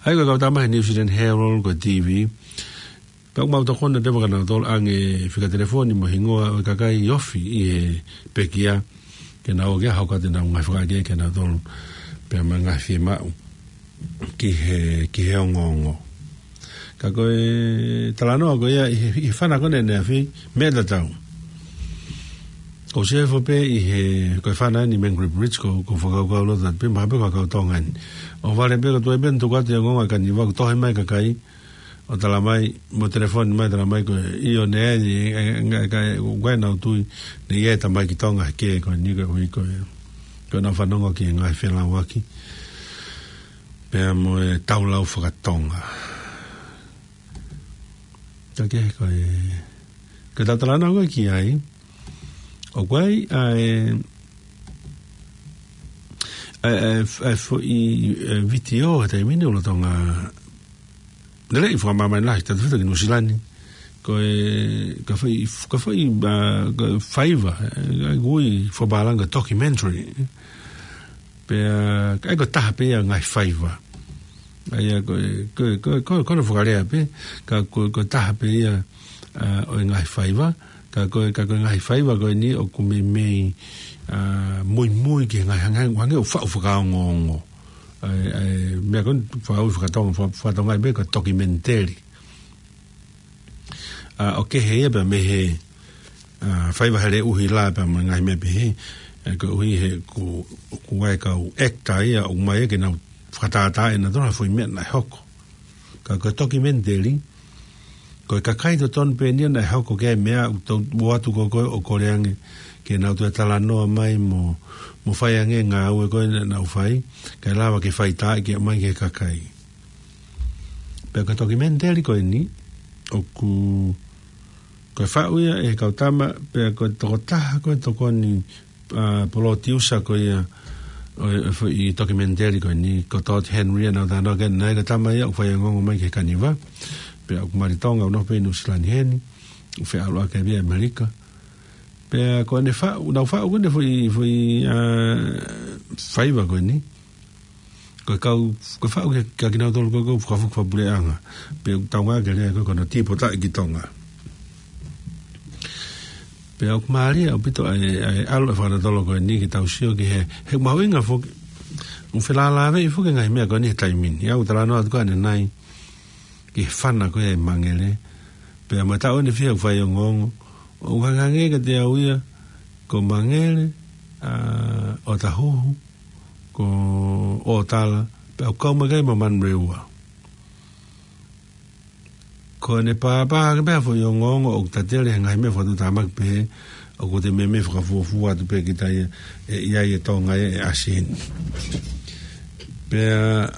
ʻA ia ko e kau tama he New Zealand Herald, ko e T V. Pea ʻoku mau tokoni atu leva kia nautolu ʻaki e fika telefoni mo e hingoa ʻo e kakai ofi ʻi he pekia, ke nau ō ke hoko atu ʻenau ngaahi fakahā kia nautolu, pea mo e ngaahi fiemaʻu ki he, ki he ongoongo. Ka ko e talanoa ko ia ʻi he, ʻi he fana ko eni ʻaneafi, meʻa tatau. Kuo u sio hifo pē ʻi he, ko e fana eni Mangere Bridge, ʻoku ou, ʻoku ou fakakaukauloto atu pē, mahalo pē ko e kau Tonga eni. ʻOhovale pē ko e tuai pē naʻa ku tuku atu e ongoongo ʻa e kaniva, kuo tohi mai e kakai ʻo talamai, mo telefoni mai talamai ko e ʻio, naʻe ʻi ai, e, e, e, e, ʻoku ʻikai ke nau tui naʻe ʻi ai e tamaiki Tonga he kē ko eni, koeʻuhi ko e, ko ʻenau fanongo ki he ngaahi felauaki pea mo e taulau faka-Tonga. Ka ke, ko e, ko ʻetau talanoa ko ē ki ai, ʻoku ʻi ai ʻa e, ʻA e, ʻa e, ʻa e foʻi, ʻa e vitiō he taimi ni ʻoku lolotonga lele ʻi fakamāmani lahi, tautefito ki Nuʻusila ni. Ko e, ko e foʻi, ko e foʻi, ʻa, ko e faiva, ʻa e, ʻa e ui fakapālangi ko e documentary. Pea, ʻa ia ko e taha pē ia e ngaahi faiva. ʻA ia ko e, ko e, ko e, ko e, ko hono fakalea pē, ka ko e, ko e taha pē ia, ʻa, ʻo e ngaahi faiva, ka ko e, ka ko e ngaahi faiva ko eni ʻoku meimei, ʻa, muimui ki he ngaahi hangē, hangē ʻoku faʻu fakaongoongo. ʻA e, ʻa e, meʻa ko eni faʻu fakatonga, fa-, fakatonga pē ko e documentary. ʻA, ʻoku kehe ia pea mei he, ʻa, faiva he leʻuhila pea mo e ngaahi meʻa pehē, ʻa, koeʻuhi he ʻoku, ʻoku ʻi ai e kau actor ia, ʻoku ʻomai ke nau fakatātā ʻe nautolu ha foʻi meʻa naʻe hoko. Ka ko e documentary, ko e kakai totonu pē eni ia naʻe hoko ki ai e meʻa, ʻoku tau ʻoatu ko ē ʻo kole ange ke nau toe talanoa mai mo, mo fai ange e ngāue ko ē naʻa nau fai, kae lava ke fai taʻeʻaonga mai ki he kakai. Pea ko e documentary ko eni, ʻoku, ko e faʻu ia ʻe he kau tama, pea ko e tokotaha ko ē tokoni, ʻa, polotiusa ko ia ʻo e, ʻo e foʻi documentary ko eni, ko Todd Henry ʻa ia naʻa ku talanoa ki ai, naʻe ko e tama ia ʻoku faiongoongo mai ki he kaniva. Pea ʻoku mali Tonga, ʻoku nofo pē ʻi Nuʻusila ni heni, ʻoku feʻaluʻaki pē ʻi ʻAmelika. Pea ko ʻene faʻu, naʻa ku faʻu ko ʻene foʻi, foʻi, ʻa, faiva ko eni. Ko e kau, ko e faʻu ke, kia kinautolu ko ē ʻoku fakafoki fakapuleʻanga. Pea ʻoku tau ngāueʻaki e lea ko ē ko hono tīpotaʻi ki Tonga. Pea ʻoku mālie ʻaupito ʻa e, ʻa e ʻalu e fakatatolo ko eni ke tau sio ki he, he mahuʻinga foki. ʻOku felālāveʻi foki e ngaahi meʻa ko eni he taimi ni. ʻOku ou talanoa atu ko ē ʻanenai ki he fana ko ē ʻa e Mangele. Pea mo e taʻu ʻeni ʻe fiha ʻoku faiongoongo. ʻOku hangehangē kiate au ia, ko Mangele, ʻa, ʻOtahuhu, ko ʻOtala, pea ʻoku kau mai ki ai mo Manurewa. Ko ʻene pāpā hake pē ha foʻi ongoongo ʻoku tatele he ngaahi meʻa fakatuʻutāmaki pehē, ʻoku te meimei fakafuofua atu pē kita ia, ʻe ʻi ai e Tonga ia ʻe ʻasi heni. Pea,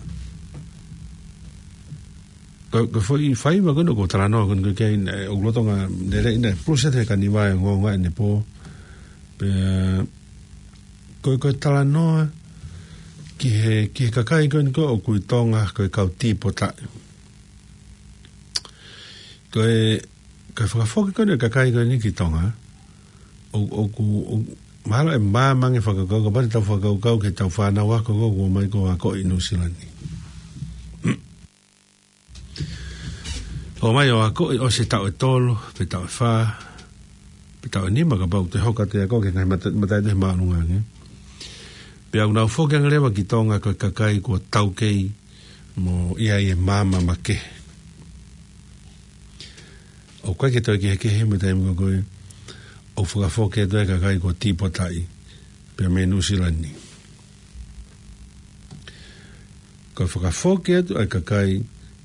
ko, ko e foʻi faiva ko eni ʻoku ou talanoa ko eni ko ē ki ai, ʻoku lolotonga lele ʻi he process he kaniva e ongoongo ʻanepō. Pea, ko, ko e talanoa ki he, ki he kakai ko eni ko ē ʻoku ʻi Tonga ko e kau tīpotaʻi. Ko e, ko e fakafoki ko eni e kakai ko eni ki Tonga, ʻo, ʻoku, ʻo, mahalo ʻe māmani e fakakaukau, kapau te tau fakakaukau ki heʻetau fānau ako ko ē kuo ʻomai ko ē ʻo akoʻi ʻi Nuʻusila ni. ʻOmai ʻo akoʻi ʻosi e taʻu ʻe tolu, pe taʻu ʻe fā, pe taʻu ʻe nima kapau te hoko atu e ako ki he ngaahi mata-, mataitu he māʻolunga ange. Pea ʻoku nau foki ange leva ki Tonga ko e kakai kuo taukei mo ʻi ai e maama makehe. ʻOku ʻikai ke toe kehekehe mo e taimi ko ē, ʻoku fakafoki atu e kakai kuo tīpotaʻi pea mei Nuʻusila ni. Ko e fakafoki atu ʻa e kakai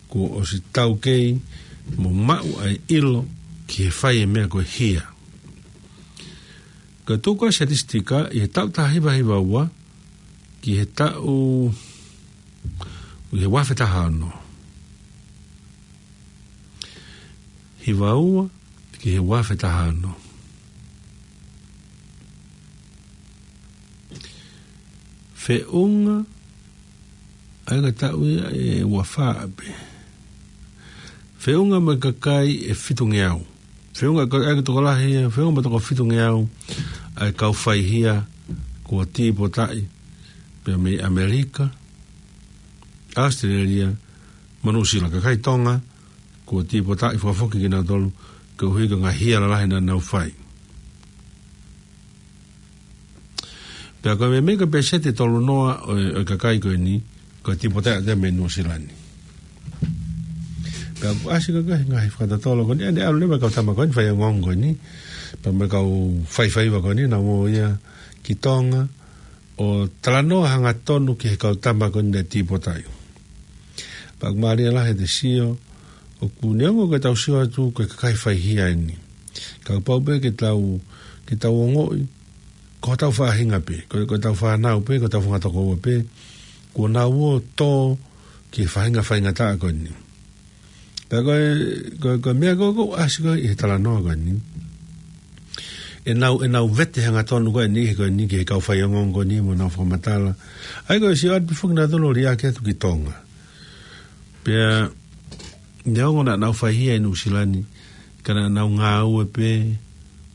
kuo ʻosi taukei mo maʻu ʻa e ʻilo ki he fai e meʻa ko e hia. Ko e tuku ʻa e sitatisitika ʻi he taʻu taha hiva hiva ua ki he taʻu, ʻi he ua afe taha ono. Hiva ua ki he ua afe taha ono. Feʻunga, ʻa ia ko e taʻu ia ʻe ua fā pē. Feʻunga mo e kakai ʻe fitungeau. Feʻunga ko e, ʻa ia ko e tokolahi ia, feʻunga mo e toko fitungeau ʻa e kau faihia kuo tīpotaʻi pea mei ʻAmelika, ʻAositelēlia, mo Nuʻusila, kakai Tonga kuo tīpotaʻi, fakafoki kinautolu koeʻuhi ko e ngaahi hia lalahi naʻa nau fai. Pea ko e meimei ko e pēseti ʻe tolu noa ʻo e, ʻo e kakai ko eni, ko e tīpotaʻi atu ia mei Nuʻusila ni. Pea ʻoku ʻasi ko ē he ngaahi fakatatolo ko eni, ʻanenai ʻalu leva e kau tama ko eni, faiongoongo ko eni, pea mo e kau faifaiva ko eni, naʻa nau ō ia ki Tonga, ʻo talanoa hangatonu ki he kau tama ko eni naʻe tīpotaʻi. Pea ʻoku mālie lahi ʻete sio, ʻoku neongo ko ʻetau sio atu ko e kakai faihia eni. Ka ʻoku pau pē ke tau, ke tau ongoʻi, ko hotau faʻahinga pē, ko, ko ʻetau fānau pē, ko hotau fanga tokoua pē, kuo nau ō tō ki he faʻahinga faingataʻa ko eni. Pea ko e, ko e, ko e meʻa ko ē ʻoku ʻasi ko ē ʻi he talanoa ko eni. ʻenau, ʻenau vete hangatonu ko eni, he ko eni ki he kau faiongoongo ko eni mo ʻenau fakamatala. ʻA ia ko e sio atu pē foki nautolu ʻo liʻaki atu ki Tonga. Pea, neongo naʻa nau faihia ʻi Nuʻusila ni, ka naʻa nau ngāue pē,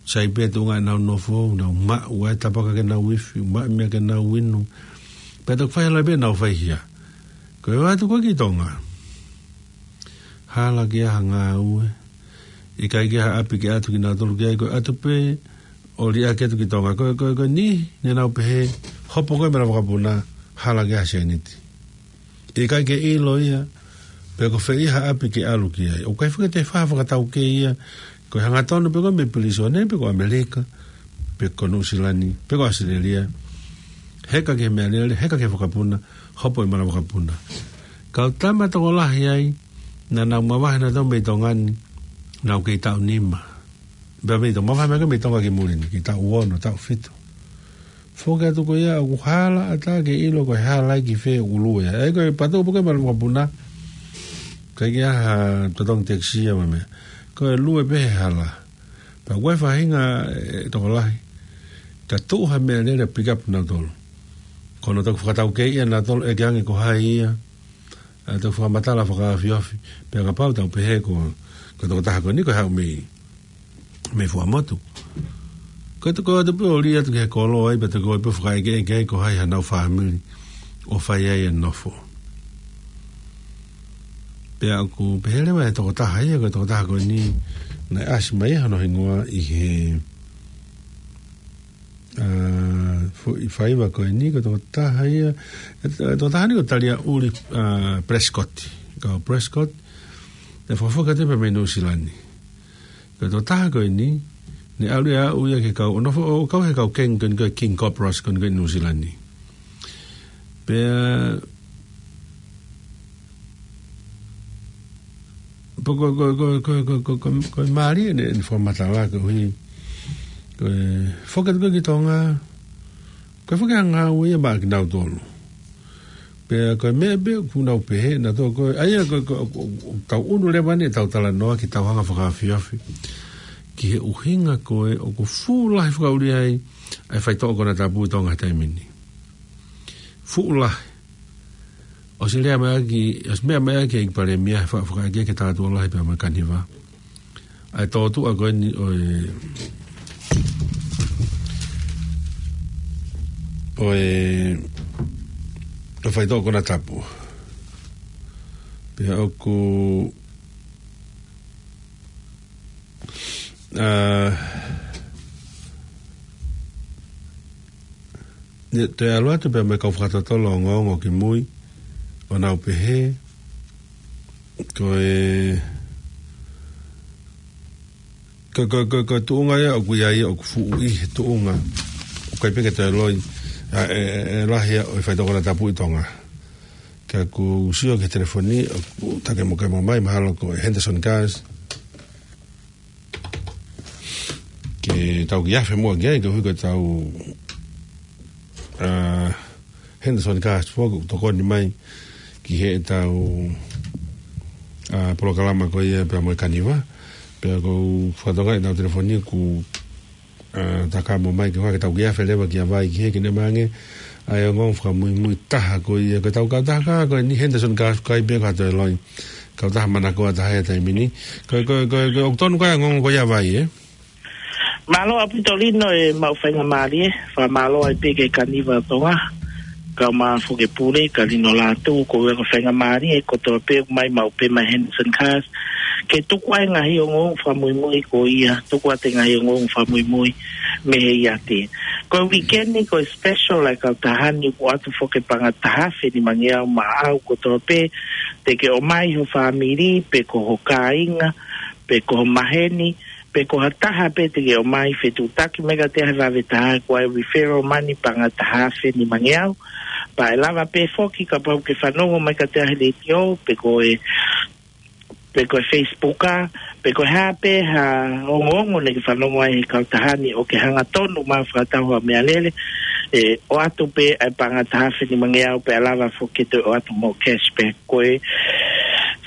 sai pē tuʻunga ʻenau nofo, nau maʻu ʻa e tapaka ke nau ifi, maʻu meʻa ke nau inu. Pea toki fai hala pē ʻenau faihia. Ko e ō atu ko ē ki Tonga, hala ke ʻai ha ngāue, ʻikai ke ʻai ha ʻapi ke ʻatu kinautolu ki ai, ko e ʻatu pē ʻo liʻaki atu ki Tonga. Ko, ko, ko e niʻihi ne nau pehē, hopo ko ē mei he lava vakapuna, hala ke ʻai ha sēniti. ʻIkai ke ʻilo ia pe ko fē ha ʻapi ke ʻalu ki ai. ʻOku ʻikai foki ke toe fai ha fakataukei ia, ko e hangatonu pe ko e mei Pilisone, pe ko ʻAmelika, pe ko Nuʻusila ni, pe ko ʻAositelēlia. Heka ki he meʻalele, heka ki he vakapuna, hopo ʻi he lava vakapuna. Kau tama tokolahi ai, naʻa nau mavahe nautolu mei Tonga ni, nau kei taʻu nima. Pea mei Tonga, mavahe mai ko ē mei Tonga ki muli ni, kei taʻu ono, taʻu fitu. Foki atu ko ia, ʻoku hala ʻatā ke ʻilo ko e hala ia ki fē ʻoku lue ai. ʻA ia ko e patu pē ko ē mei he lava vakapuna, ʻikai ke ʻai ha totongi taxi ia mo e meʻa. Ko e lue pē he hala. Pea ko e faʻahinga, ʻe, tokolahi, ka tuʻu ha meʻalele pick up nautolu. Ko hono toki fakataukei ia nautolu ʻeke ange ko hai ia, ʻa e toki fakamatala fakaofiofi. Pea kapau te tau pehē ko, ko e tokotaha ko eni ko e haʻu mei, mei Fuaʻamotu. Ko e toki ʻoatu pē ʻo liʻaki atu ki he kolo ai, pea toki ʻoatu pē ʻo fakaʻekeʻeke ai ko hai hanau fāmili ʻoku fai ai e nofo. Pea ʻoku pehē leva ʻe he tokotaha ia, ko e tokotaha ko eni naʻe ʻasi mai hono hingoa ʻi he, ʻa, fo-, ʻi he faiva ko eni, ko e tokotaha ia, ʻe, ʻe, tokotaha ni ko Talia Uli, ʻa, Prescott. Kau Prescott, naʻe fakafoki atu pē mei Nuʻusila ni. Ko e tokotaha ko eni, naʻe ʻalu ia ʻo aʻu ia ki he kau, ʻo nofo, ʻo kau he kau kengi ko eni ko e King Cobras ko eni ko ē ʻi Nuʻusila ni. Pea, pea ko, ko, ko e mālie ʻene, ʻene fakamatala koeʻuhi, ko e foki atu ko ē ki Tonga, ko e foki ʻa e ngāue ia maʻa kinautolu. Pea ko e meʻa pē ʻoku nau pehē nautolu ko e, ʻa ia ko, ko, ko, ko, tau ʻunu leva eni ʻetau talanoa ki heʻetau hanga fakaofiofi ki he ʻuhinga ko ē ʻoku fuʻu lahi fakaʻuli ai ʻa e faitoʻo konatapu ʻi Tonga he taimi ni. Fuʻu lahi. ʻOsi lea mai ʻaki, ʻosi meʻa mai ʻaki ʻEiki Palēmia he fa-, fakaʻekeʻeke ki he Tātuʻa Lahi pea mo e Kaniva, ʻa e tōtuʻa ko eni ʻo e, ʻo e, ʻo e faitoʻo konatapu. Pea ʻoku, ʻa, ne toe ʻalu atu pea mo e kau fakatotolo ongoongo ki mui, ʻo nau pehē, ko e, ko, ko, ko, ko e tuʻunga ia ʻoku ʻi ai, ʻoku fuʻu ʻi he tuʻunga ʻoku ʻikai pē ke toe loi, ʻa, ʻe, ʻe, ʻe lahi ia ʻo e faitoʻo konatapu ʻi Tonga. Ka ʻoku sio ki he telefoni, ʻoku takemokemo mai, mahalo ko e Henderson Cars. Ke tau kiʻi afe muʻa ki ai, koeʻuhi ko ʻetau, ʻa, Henderson Cars foki ʻoku tokoni mai ki heʻetau, ʻa, polokalama ko ia pea mo e Kaniva. Pea ʻoku ou fakatokangaʻi ʻetau telefoni ʻoku, ʻa, takamo mai ke ʻoua ke tau kiʻi afe leva ki ai ki he kine mange. ʻA e ongoongo fakamuimui taha ko ia, ko ʻetau kautaha ko eni Henderson Cars ʻoku ʻikai pē ke toe loi. Kautaha manakoa taha ia he taimi ni. Ko, ko, ko, ko, ʻoku tonu ko e ongoongo ko ia ʻa Vai, ē? Mālō ʻaupito Lino, ʻemau faingamālie, fakamālō ai pē ki he Kaniva ʻo Tonga, kau mai foki e pule, ka Lino Lātū, ko e ongo faingamālie kotoa pē ʻoku mai maʻu pē mei Henderson Cars, ke tuku ai e ngaahi ongoongo fakamuimui ko ia, tuku atu e ngaahi ongoongo fakamuimui mei he ʻiate. Ko e weekend ni, ko e special ʻa e kautaha ni ʻoku ʻoatu foki e paʻanga taha afe nimangeau maʻau kotoa pē, te ke ʻomai ho fāmili, pe ko ho kāinga, pe ko ho maheni, pe ko ha taha pē te ke ʻomai, fetuʻutaki mai kiate au he vave taha, ko e referral money paʻanga taha afe nimangeau. Pea ʻe lava pē foki kapau ʻoku ke fanongo mai kiate au he letiō, pe ko e, pe ko e Facebook, pe ko e hā pē ha ongoongo naʻa ke fanongo ai he kautaha ni ʻo ke hangatonu mai ʻo fakatau ha meʻalele, ʻe ʻoatu pē ʻa e paʻanga taha afe nimangeau pea lava foki ke toe ʻoatu mo e cashback. Ko e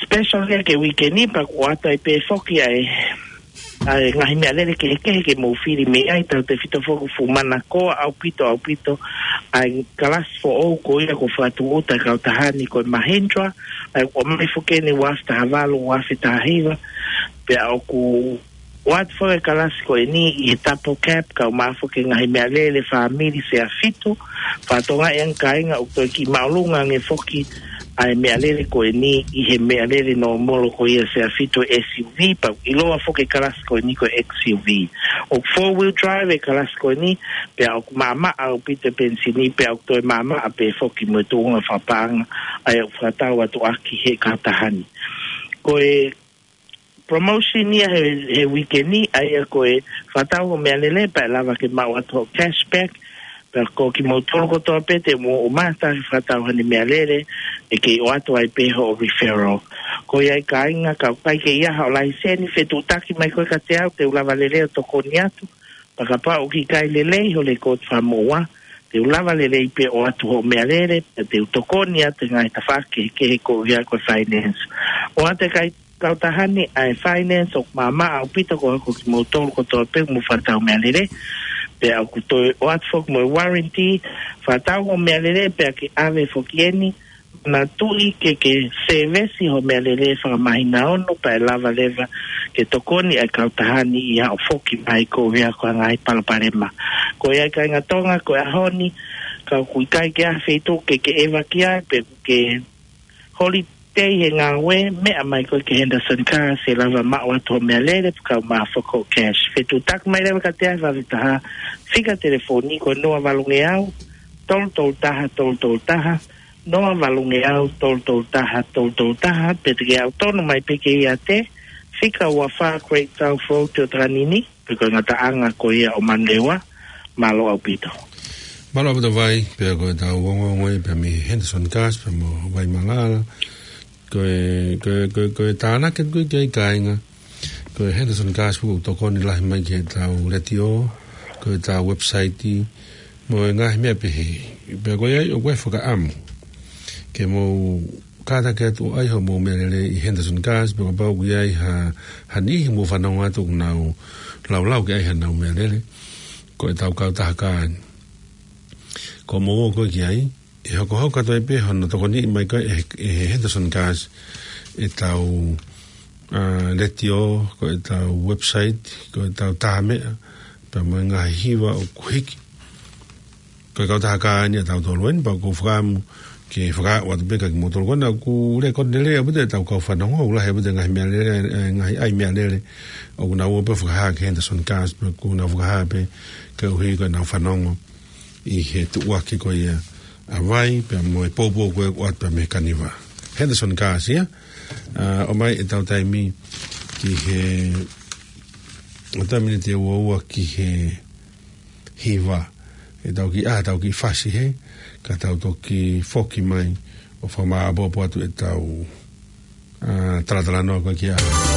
special ia ki he weekend ni pea ʻoku ʻoatu ai pē foki ʻa e ʻa e ngaahi meʻalele kehekehe ke mou fili mei ai, tautefito foki ʻoku fuʻu manakoa ʻaupito, ʻaupito ʻa e kalasi foʻou ko ia kuo fakatūʻuta ʻe he kautaha ni ko e Mahindra, ʻa ia ʻoku ʻomai foki eni ua afe taha valu, ua afe taha hiva, pea ʻoku ʻoatu foki e kalasi ko eni ʻi he double cab, kae ʻumaʻā foki e ngaahi meʻalele fāmili sea fitu, fakatokangaʻi ange kāinga ʻoku toe kiʻi māʻolunga ange foki ʻa e meʻalele ko eni ʻi he meʻalele nōmolo ko ia sea fitu, S U V, pea ʻoku ʻiloa foki e kalasi ko eni ko e X U V. ʻOku four wheel drive e kalasi ko eni, pea ʻoku maʻamaʻa ʻaupito e penisini, pea ʻoku toe maʻamaʻa pē foki mo e tuʻunga fakapaʻanga, ʻa ia ʻoku fakatau atu ʻaki ʻe he kautaha ni. Ko e promotion ia he, he uike ni, ʻa ia ko e fakatau hoʻo meʻalele pea ʻe lava ke maʻu atu hoʻo cashback, pea ko kimoutolu kotoa pē te mou ʻomai ha taha ke fakatau haʻane meʻalele, ʻe kei ʻoatu ai pē hoʻo referral. Ko ia ai kāinga, kapau ʻoku ʻikai ke ʻi ai haʻo laiseni, fetuʻutaki mai koe kiate au, te u lava lelei ʻo tokoni atu, pea kapau ʻoku ʻikai lelei ho lekooti fakamoʻua, te u lava lelei pē ʻo ʻoatu hoʻo meʻalele, pea te u tokoni atu he ngaahi tafaʻaki kehekehe koeʻuhi ko e finance. ʻOatu ʻe he kai-, kautaha ni ʻa e finance ʻoku maʻamaʻa ʻaupito koeʻuhi ko kimoutolu kotoa pē ʻoku mou fakatau meʻalele, pea ʻoku toe ʻoatu foki mo e warranty, fakatau hoʻo meʻalele pea ke ʻave foki eni, manatuʻi ke ke sēvesi hoʻo meʻalele fakamāhina ono pea ʻe lava leva ke tokoni ʻa e kautaha ni ʻi haʻo foki mai koeʻuhi ko e ngaahi palopalema. Ko ia ai kāinga Tonga, ko e ʻaho ni, kapau ʻoku ʻikai ke ʻi ai ha feituʻu ke ke ʻeva ki ai, pe ke holiday he ngāue, meʻa mai koe ki he Henderson Cars, ʻe lava maʻu atu hoʻo meʻalele, pea kae ʻumaʻā foki hoʻo cash. Fetuʻutaki mai leva kiate au he vave taha, fika telefoni ko e noa valungeau, tolu tolu taha, tolu tolu taha, noa valungeau, tolu tolu taha, tolu tolu taha, pe te ke ʻalu tonu mai pē ki he iate, fika ua fā Great South Road, ʻOtu Takanini, pe ko e ngataʻanga ko ia ʻo Manurewa. Mālō ʻaupito. Mālō ʻaupito Vai, pea ko ʻetau ongoongo ia pea mei he Henderson Cars, pea mo Vai Malala. Ko e, ko e, ko e, ko e tānaki atu ko ē ki ai kāinga, ko e Henderson Cars ʻoku tokoni lahi mai ki heʻetau letiō, ko ʻetau website, mo e ngaahi meʻa pehē. Pea ko ia ai ʻoku ʻi ai e fakaʻamu ke mou kātaki atu ʻo ʻai hoʻomou meʻalele ʻi Henderson Cars, pea kapau ʻoku ʻi ai ha, ha niʻihi ʻoku mou fanongo atu ʻoku nau laulau ke ʻai haʻanau meʻalele, ko ʻetau kautaha kā eni. Ko hoʻomou ō ko ē ki ai, ʻe hokohoko atu ai pē hono tokoniʻi mai ko ē ʻe, ʻe he Henderson Cars ʻetau, ā, letiō, ko ʻetau website, ko ʻetau taha meʻa, pea mo e ngaahi hiva ʻoku hiki. Ko e kautaha kā eni ʻatautolu eni, pea ʻoku ou fakaʻamu ke fakaaʻu atu pē kiate kimoutolu ko ena, ʻoku lelei, ʻoku lelei ʻaupito ʻetau kau fanongo, ʻoku lahi ʻaupito e ngaahi meʻalele, e ngaahi ʻai meʻalele ʻoku nau ō pē ʻo fakahā ki he Henderson Cars, pea ʻoku nau fakahā pē koeʻuhi ko ʻenau fanongo ʻi he tuʻuaki ko ia ʻa Vai, pea mo e poupou ko ē ʻoku ʻoatu pē mei Kaniva. Henderson Cars ia, ā, ʻomai ʻetau taimi ki he, ʻetau miniti ʻe ua ua ki he hiva. ʻE tau kiʻi, ā, tau kiʻi fasi hē, ka tau toki foki mai ʻo fakamāʻopoʻopo atu ʻetau, ā, talatalanoa ko ē ki ai.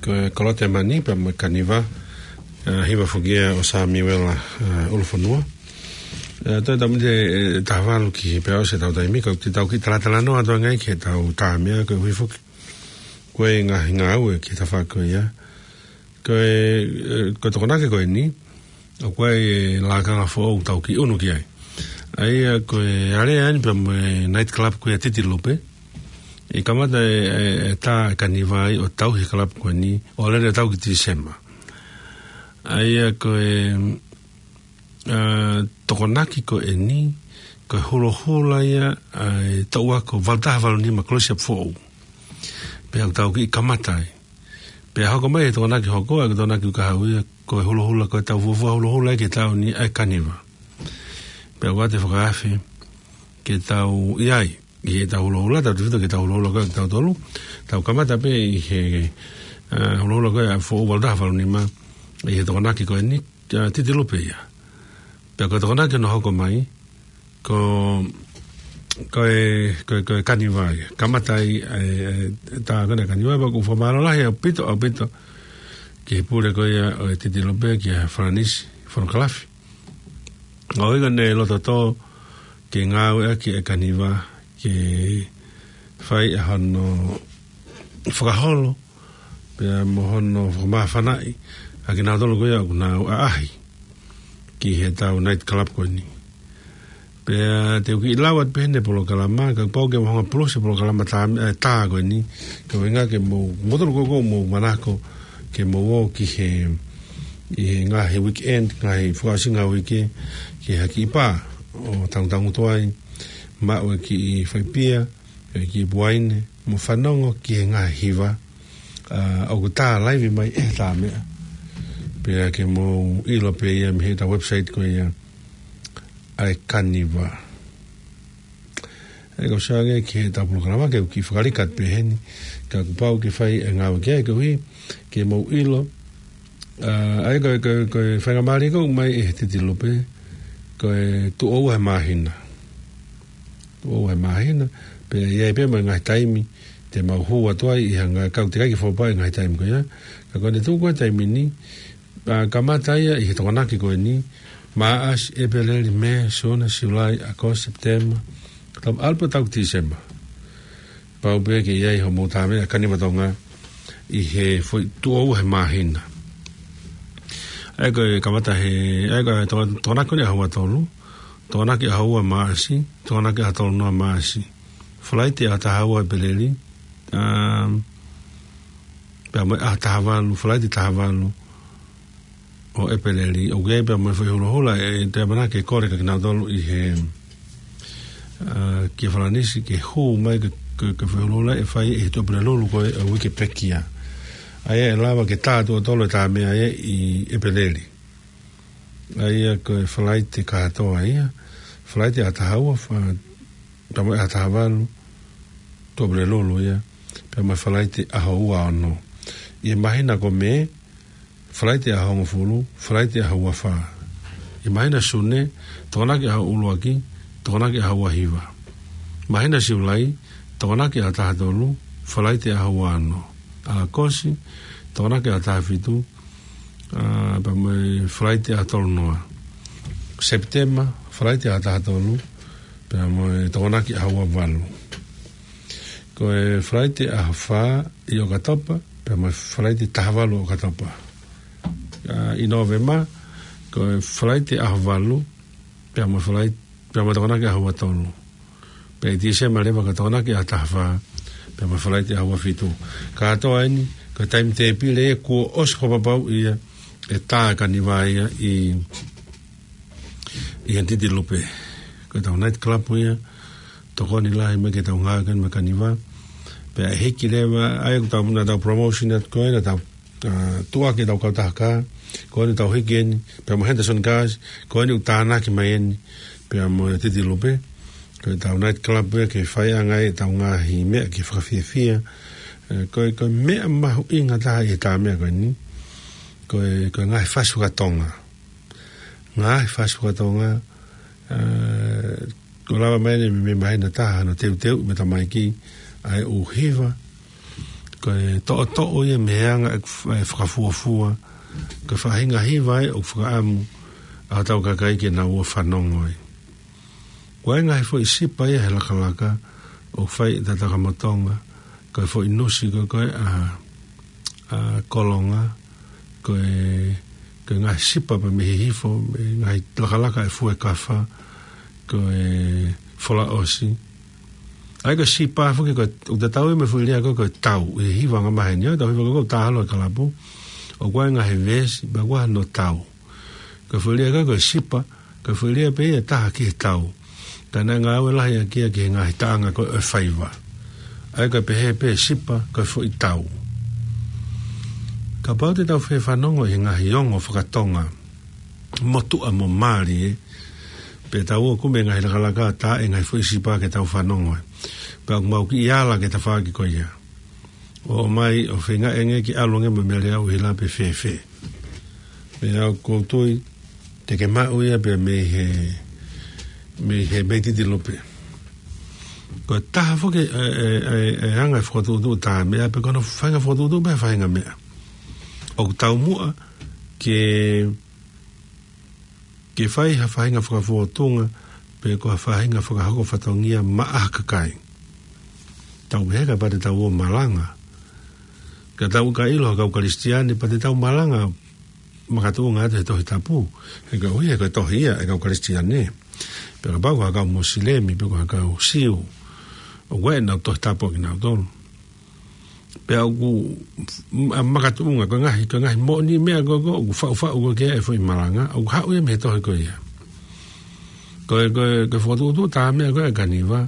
Ko e Kolote Mani pea mo e Kaniva, ʻa, hiva foki ia ʻo Samiuela, ʻa, ʻUlufonua. ʻE, toe tau miniti ʻe taha valu ki he pea ʻosi ʻetau taimi, ka te tau kiʻi talatalanoa atu ange ki heʻetau tā meʻa, koeʻuhi foki ko e ngaahi ngāue ki he tafaʻaki ko ia. Ko e, ʻe, ko e Tokonaki ko eni, ʻoku ʻi ai e lakanga foʻou ʻoku tau kiʻi ʻunu ki ai. ʻA ia ko e alea eni pea mo e night club ko ia Titilupe. ʻE kamata e, e, e tā e Kaniva ai ʻo tauhi e club ko eni, ʻo lele ʻo tau ki Tīsema. ʻA ia ko e, ʻa, Tokonaki ko eni, ko e hulohula ia, ʻa, e toʻu ako valu taha valu nima Kolisi ʻa Foʻou. Pea ʻoku tau kiʻi kamata ai. Pea hoko mai e Tokonaki hoko, ʻa e Tokonaki ʻoku hau ia, ko e hulohula, ko e tau fuofua hulohula ia ki he taʻu ni ʻa e Kaniva. Pea ʻoku ʻoatu e fakaafe ke tau ʻi ai, ʻi heʻetau hulohula, tautefito ki heʻetau hulohula ko ē ʻa tautolu, tau kamata pē ʻi he, ʻa, hulohula ko ē ʻa Foʻou valu taha valu nima, ʻi he Tokonaki ko eni, ʻa, Titilupe ia. Pea ko e Tokonaki naʻe hoko mai, ko, ko e, ko e, ko e Kaniva ia. Kamata ai, e, e, tā ko ena Kaniva, pea ʻoku ou fakamālō lahi ʻaupito, ʻaupito ki he pule ko ia ʻo e Titilupe, kia Falanisi Fonokalafi. ʻO ʻikai ke ne loto tō ke ngāueʻaki e Kaniva, ke fai ʻa hono fakaholo, pea mo hono fakamāfanaʻi ʻa kinautolu ko ia ʻoku nau ʻaʻahi ki heʻetau night club ko eni. Pea te u kiʻi lau atu pē ʻene polokalama, kapau ʻoku ke mahuʻinga pulusi e polokalama tā, e, tā ko eni, ka ʻuhinga ke mou, mou tolu ko ē ʻoku mou manako ke mou ō ki he, ʻi he ngaahi weekend, ngaahi fakaʻosinga uike, ki ha kiʻi pā ʻo tangutangutu ai, maʻu e kiʻi faipia, e kiʻi puaine, mo fanongo ki he ngaahi hiva, ʻa, ʻoku tā laivi mai ʻe he tā meʻa. Pea ke mou ʻilo pē ia mei heʻetau website ko ia ʻa e Kaniva. ʻE, ko e ʻuhinga ki heʻetau polokalama ke u kiʻi fakalika atu pē heni, ka kuo pau ke fai e ngāue ki ai koeʻuhi ke mou ʻilo, ʻa, ʻa ia ko e, ko e, ko e faingamālie ko ē ʻoku ʻomai ʻe he Titilupe, ko e tuʻo ua he māhina. Tuʻo ua he māhina, pea ʻi ai pē mo e ngaahi taimi te mau hū atu ai ʻi ha ngaahi, ka ʻoku teʻeki ai ke fakaʻapaʻapaʻi e ngaahi taimi ko ia. Ka ko ʻene tuʻu ko ē taimi ni, ʻa, kamata ia ʻi he Tokonaki ko eni, Maʻasi, ʻEpeleli, Mē, Sune, Siulai, ʻAokosi, Sepitema, tau ʻalu pē ʻo tau ki Tīsema. Pau pē ke ʻi ai hoʻomou tā meʻa Kaniva Tonga ʻi he foʻi tuʻo ua he māhina. ʻA ia ko e kamata he, ʻa ia ko e Toko-, Tokonaki ko eni ʻaho ua tolu, Tokonaki ʻaho ua Maʻasi, Tokonaki ʻaho tolu noa Maʻasi. Falaite ʻaho taha ua ʻEpeleli, um, pea mo e ʻaho taha valu, Falaite taha valu ʻo ʻEpeleli, ʻoku ʻi ai pē mo e foʻi hulohula, ʻe, te u ʻamanaki ke kole kia kinautolu ʻi he, ʻa, kia Falanisi, ke hū mai ki he, ki he, ki he foʻi hulohula ʻe fai ʻi he Tuʻapulelulu ko ē ʻo e uike pekia. ʻA ia ʻe lava ke tā tuʻo tolu e tā meʻa ia ʻi ʻEpeleli. ʻA ia ko e Falaite kātoa ia, Falaite ʻaho taha ua, fa-, pea mo e ʻaho taha valu, Tuʻapulelulu ia, pea mo e Falaite ʻaho ua ono. ʻI he māhina ko Mē, Falaite ʻaho hongofulu, Falaite ʻaho ua fā. ʻI he māhina Sune, Tokonaki ʻaho ʻuluaki, Tokonaki ʻaho ua hiva. Māhina Siulai, Tokonaki ʻaho taha tolu, Falaite ʻaho ua ono. ʻAokosi, Tokonaki ʻaho taha fitu, ʻa, pea mo e Falaite ʻaho tolu noa. Sepitema, Falaite ʻaho taha tolu, pea mo e Tokonaki ʻaho ua valu. Ko e Falaite ʻaho fā ʻi ʻOkatopa, pea mo e Falaite taha valu ʻOkatopa. ʻA, ʻi Nōvema, ko e Falaite ʻaho valu, pea mo e Falai-, pea mo e Tokonaki ʻaho ua tolu. Pea ʻi Tīsema leva ko e Tokonaki ʻaho taha fā, pea mo e Falaite ʻaho ua fitu. Kātoa eni, ko e taimi tēpile ia kuo ʻosi fakapapauʻi ia ʻe tā e Kaniva ia ʻi, ʻi he Titilupe. Ko ʻetau night club ia, tokoni lahi mai ke tau ngāue ko eni mo e Kaniva. Pea ʻe hiki leva, ʻa ia ko ʻetau, naʻa tau promotion atu ko ē, naʻa tau, ʻa, tuʻuaki ʻetau kautaha kā, ko eni ʻoku tau hiki eni, pea mo Henderson Cars, ko eni ʻoku tānaki mai eni, pea mo e Titilupe. Ko ʻetau night club ia ke fai ange ai ʻetau ngaahi meʻa ke fakafiefia. ʻE, ko e, ko e meʻa mahuʻinga taha ʻi he tā meʻa ko eni, ko e, ko e ngaahi fasi fakatonga. Ngaahi fasi fakatonga, ʻa, kuo lava mai eni mei he māhina taha hono teuteu mo e tamaiki, ʻa e ʻū hiva, Ko e toʻotoʻo ia mei he anga e f-, e fakafuofua, ko e faʻahinga hiva ē ʻoku fakaʻamu ʻa hotau kakai ke nau ō ʻo fanongo ai. Ko e ngaahi foʻi sipa ia he lakalaka ʻoku fai ʻe Tatakamotonga, ko e foʻi nusi ko ē ʻa, ʻa Kolonga, ko e, ko e ngaahi sipa pea mei Hihifo, mei he ngaahi lakalaka ʻa e Fuekafa, ko e Folaʻosi. ʻA ia ko e sipa foki ko e, ʻoku tatau ia mo e foʻi lea ko ē ko e tau, ʻi he hiva angamaheni, ʻa e tau hiva ko ē ʻoku tā holo he kalapu, ʻoku ʻi ai e ngaahi veesi, pea ʻoku ʻi ai hono tau. Ko e foʻi lea ko ē ko e sipa, ko e foʻi lea pē ia ʻe taha ki he tau. Ka naʻe ngāue lahi ʻaki ia ki he ngaahi taʻanga ko ē ʻo e faiva. ʻA ia ko e pehē pē sipa, ko e foʻi tau. Kapau te tau fie fanongo ʻi he ngaahi ongo fakatonga, motuʻa mo mālie, pea tau ō ʻo kumi e ngaahi lakalaka tā e ngaahi foʻi sipa ke tau fanongo ai. Pea ʻoku mau kiʻi ala ki he tafaʻaki ko ia ʻo ʻomai ʻo feinga ange ke ʻalu ange mo e meʻa lea ʻuhila pe fēfē. Meʻa ʻoku ou tui te ke maʻu ia pea mei he, mei he meititi lupe. Ko e taha foki e, e, e, e anga e fokotuʻutuʻu tā meʻa pe ko hono faʻahinga fokotuʻutuʻu pē faʻahinga meʻa. ʻOku taumuʻa ke ke fai ha faʻahinga fakafōtunga, pe ko ha faʻahinga fakahoko fatongia maʻa ha kakai. Tau pehē kapau te tau ō ʻo malanga. Ka tau ka ʻilo ha kau Kalisitiane, pea te tau malanga makatuʻunga atu he Tohi Tapu. He koeʻuhi, he ko e tohi ia ʻa e kau Kalisitiane. Pea kapau ko ha kau Mosilemi, pe ko ha kau Siu, ʻoku ʻi ai ʻenau Tohi Tapu ʻa kinautolu. Pea ʻoku m-, ʻa makatuʻunga, ko e ngaahi, ko e ngaahi moʻoni meʻa ko ē, ko ē, ʻoku faʻufaʻu ko ē ki ai e foʻi malanga, ʻoku haʻu ia mei he tohi ko ia. Ko e, ko e, ko e fokotuʻutuʻu tā meʻa ko ē ʻa e kaniva,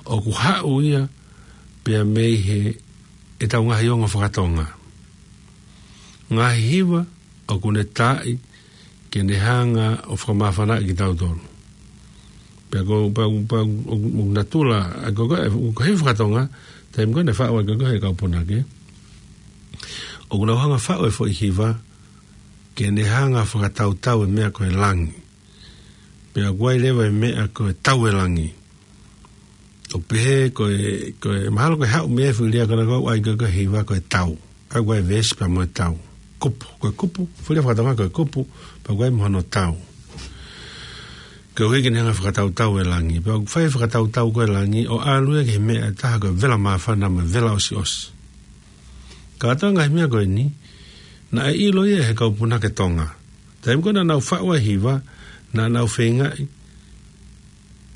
ʻoku haʻu ia pea mei he, ʻetau ngaahi ongo fakatonga. Ngaahi hiva, ʻoku ne taaʻi, ke ne hanga ʻo fakamāfanaʻi kitautolu. Pea ko, pea, pea, ʻo, ʻo natula, ʻa ko, ko, ʻo ko e fakatonga, taimi ko ē naʻe faʻu ai ko, ko e kau punake. ʻOku nau hanga faʻu e foʻi hiva, ke ne hanga fakatautau e meʻa ko e langi. Pea ʻoku ʻi ai leva e meʻa ko e tau e langi. ʻO pehē ko e, ko e mahalo ko e haʻu mei he foʻi lea ko ena ko ē ʻa ia ko, ko e hiva ko e tau. ʻA ia ko e veesi pea mo e tau. Kupu, ko e kupu, foʻi lea fakatonga ko e kupu, pea ʻoku ʻi ai mo hono tau. Koeʻuhi ke ne hanga fakatautau e langi. Pea ʻoku fai fakatautau ko e langi, ʻo ʻalu ia ki he meʻa ʻe taha ko e vela māfana mo e vela ʻosiʻosi. Kātoa e ngaahi meʻa ko eni, naʻe ʻilo ia he kau punake Tonga. Taimi ko ē naʻa nau faʻu ai e hiva, naʻa nau feingaʻi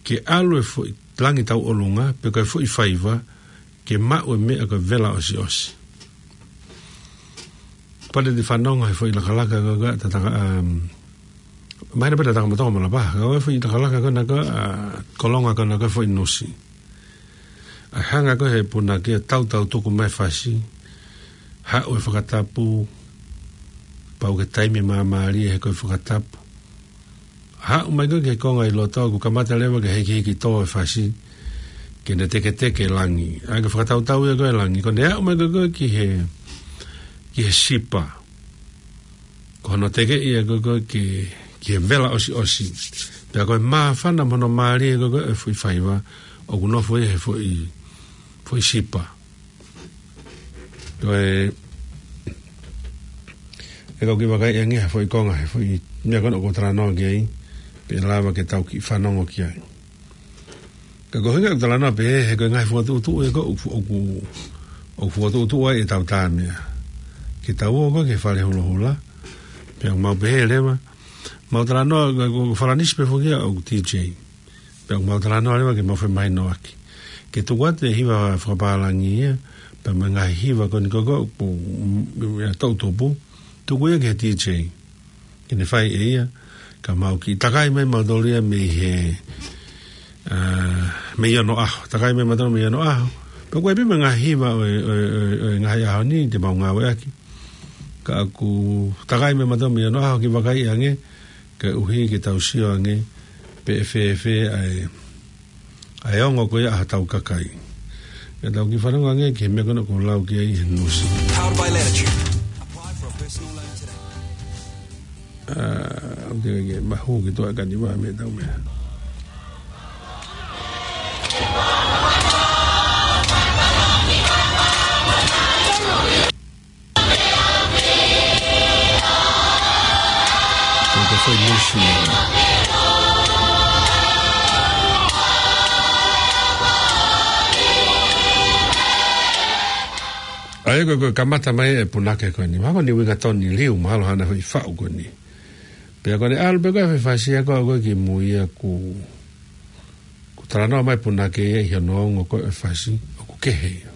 ke ʻalu e foʻi langi tauʻolunga, pe ko e foʻi faiva, ke maʻu e meʻa ko e vela ʻosiʻosi. Pea te fanongo he foʻi lakalaka ko ē, Tataka, um, mahino pē Tatakamotonga mo Lapaha, ko e foʻi lakalaka ko ena ko ē, ʻa Kolonga ko ena ko e foʻi nusi. ʻA e hanga ko ē he punake ʻo tautau tuku mai e fasi, haʻu e fakatapu, pau ke taimi māmālie he ko e fakatapu. Haʻu mai ko ē ki he konga ʻi loto ʻoku kamata leva ke hikihiki tō e fasi, ke ne teketeke e langi. ʻA ia ko e fakatautau ia ko ē e langi, ko ʻene aʻu mai ko ē ki he, ki he sipa. Ko hono teke ia ko ē ki, ki he vela ʻosiʻosi. Pea ko e māfana mo hono mālie ko ē e foʻi faiva, ʻoku nofo ia he foʻi, foʻi sipa. Ko e, ʻe kau kiʻi vakaiʻi ange ha foʻi konga, he foʻi meʻa ko ena ʻoku ou talanoa ki ai, pea lava ke tau kiʻi fanongo ki ai. Ka ko e ʻuhinga ʻeku talanoa pehē, he ko e ngaahi fokotuʻutuʻu ia ko ē ʻoku, ʻoku, ʻoku fokotuʻutuʻu ai ʻetau tā meʻa. Ke tau ō ko ē ki he fale hulohula, pea mau pehē leva, mau talanoa, ko, ko Falanisi pē foki ia ʻoku DJ. Pea mau talanoa leva ke mau femahinoʻaki. Ke tuku atu e hiva fakapālangi ia, pea mo e ngaahi hiva ko eni ko ē, ko, mm, ia toʻutupu, tuku ia ki he DJ. Ke ne fai ʻe ia, ka mau kiʻi takai mai mautolu ia mei he, ā, mei onoʻaho. Takai mai mautolu mei onoʻaho. Pea ʻoku ʻi ai pē mo e ngaahi hiva ʻo e, ʻo e, ʻo e, ʻo e ngaahi ʻaho ni te mau ngāueʻaki. Ka ʻoku takai mai mautolu mei onoʻaho kiʻi vakaiʻi ange, koeʻuhi ke tau sio ange, pe ʻe fēfē ʻa e, ʻa e ongo ko ia ʻa hotau kakai. Ke tau kiʻi fanongo ange ki he meʻa ko ena ʻoku ou lau ki ai he nusi. Powered by Latitude. Apply for a personal loan today. Ā, ʻoku teʻeki ke mahu ki tuʻa e kaniva mei heʻetau meʻa. ʻA ia ko e, ko e kamata mai e punake ko eni. Mahalo ko e ʻuhinga tonu e liu, mahalo hana foʻi faʻu ko eni. Pea ko ʻene ʻalu pē ko ē ʻo fai e fasi ia ko ē ki mui ia ʻoku, ʻoku talanoa mai punake ia ʻi hono ongo ko ē ʻo e fasi ʻoku kehe ia.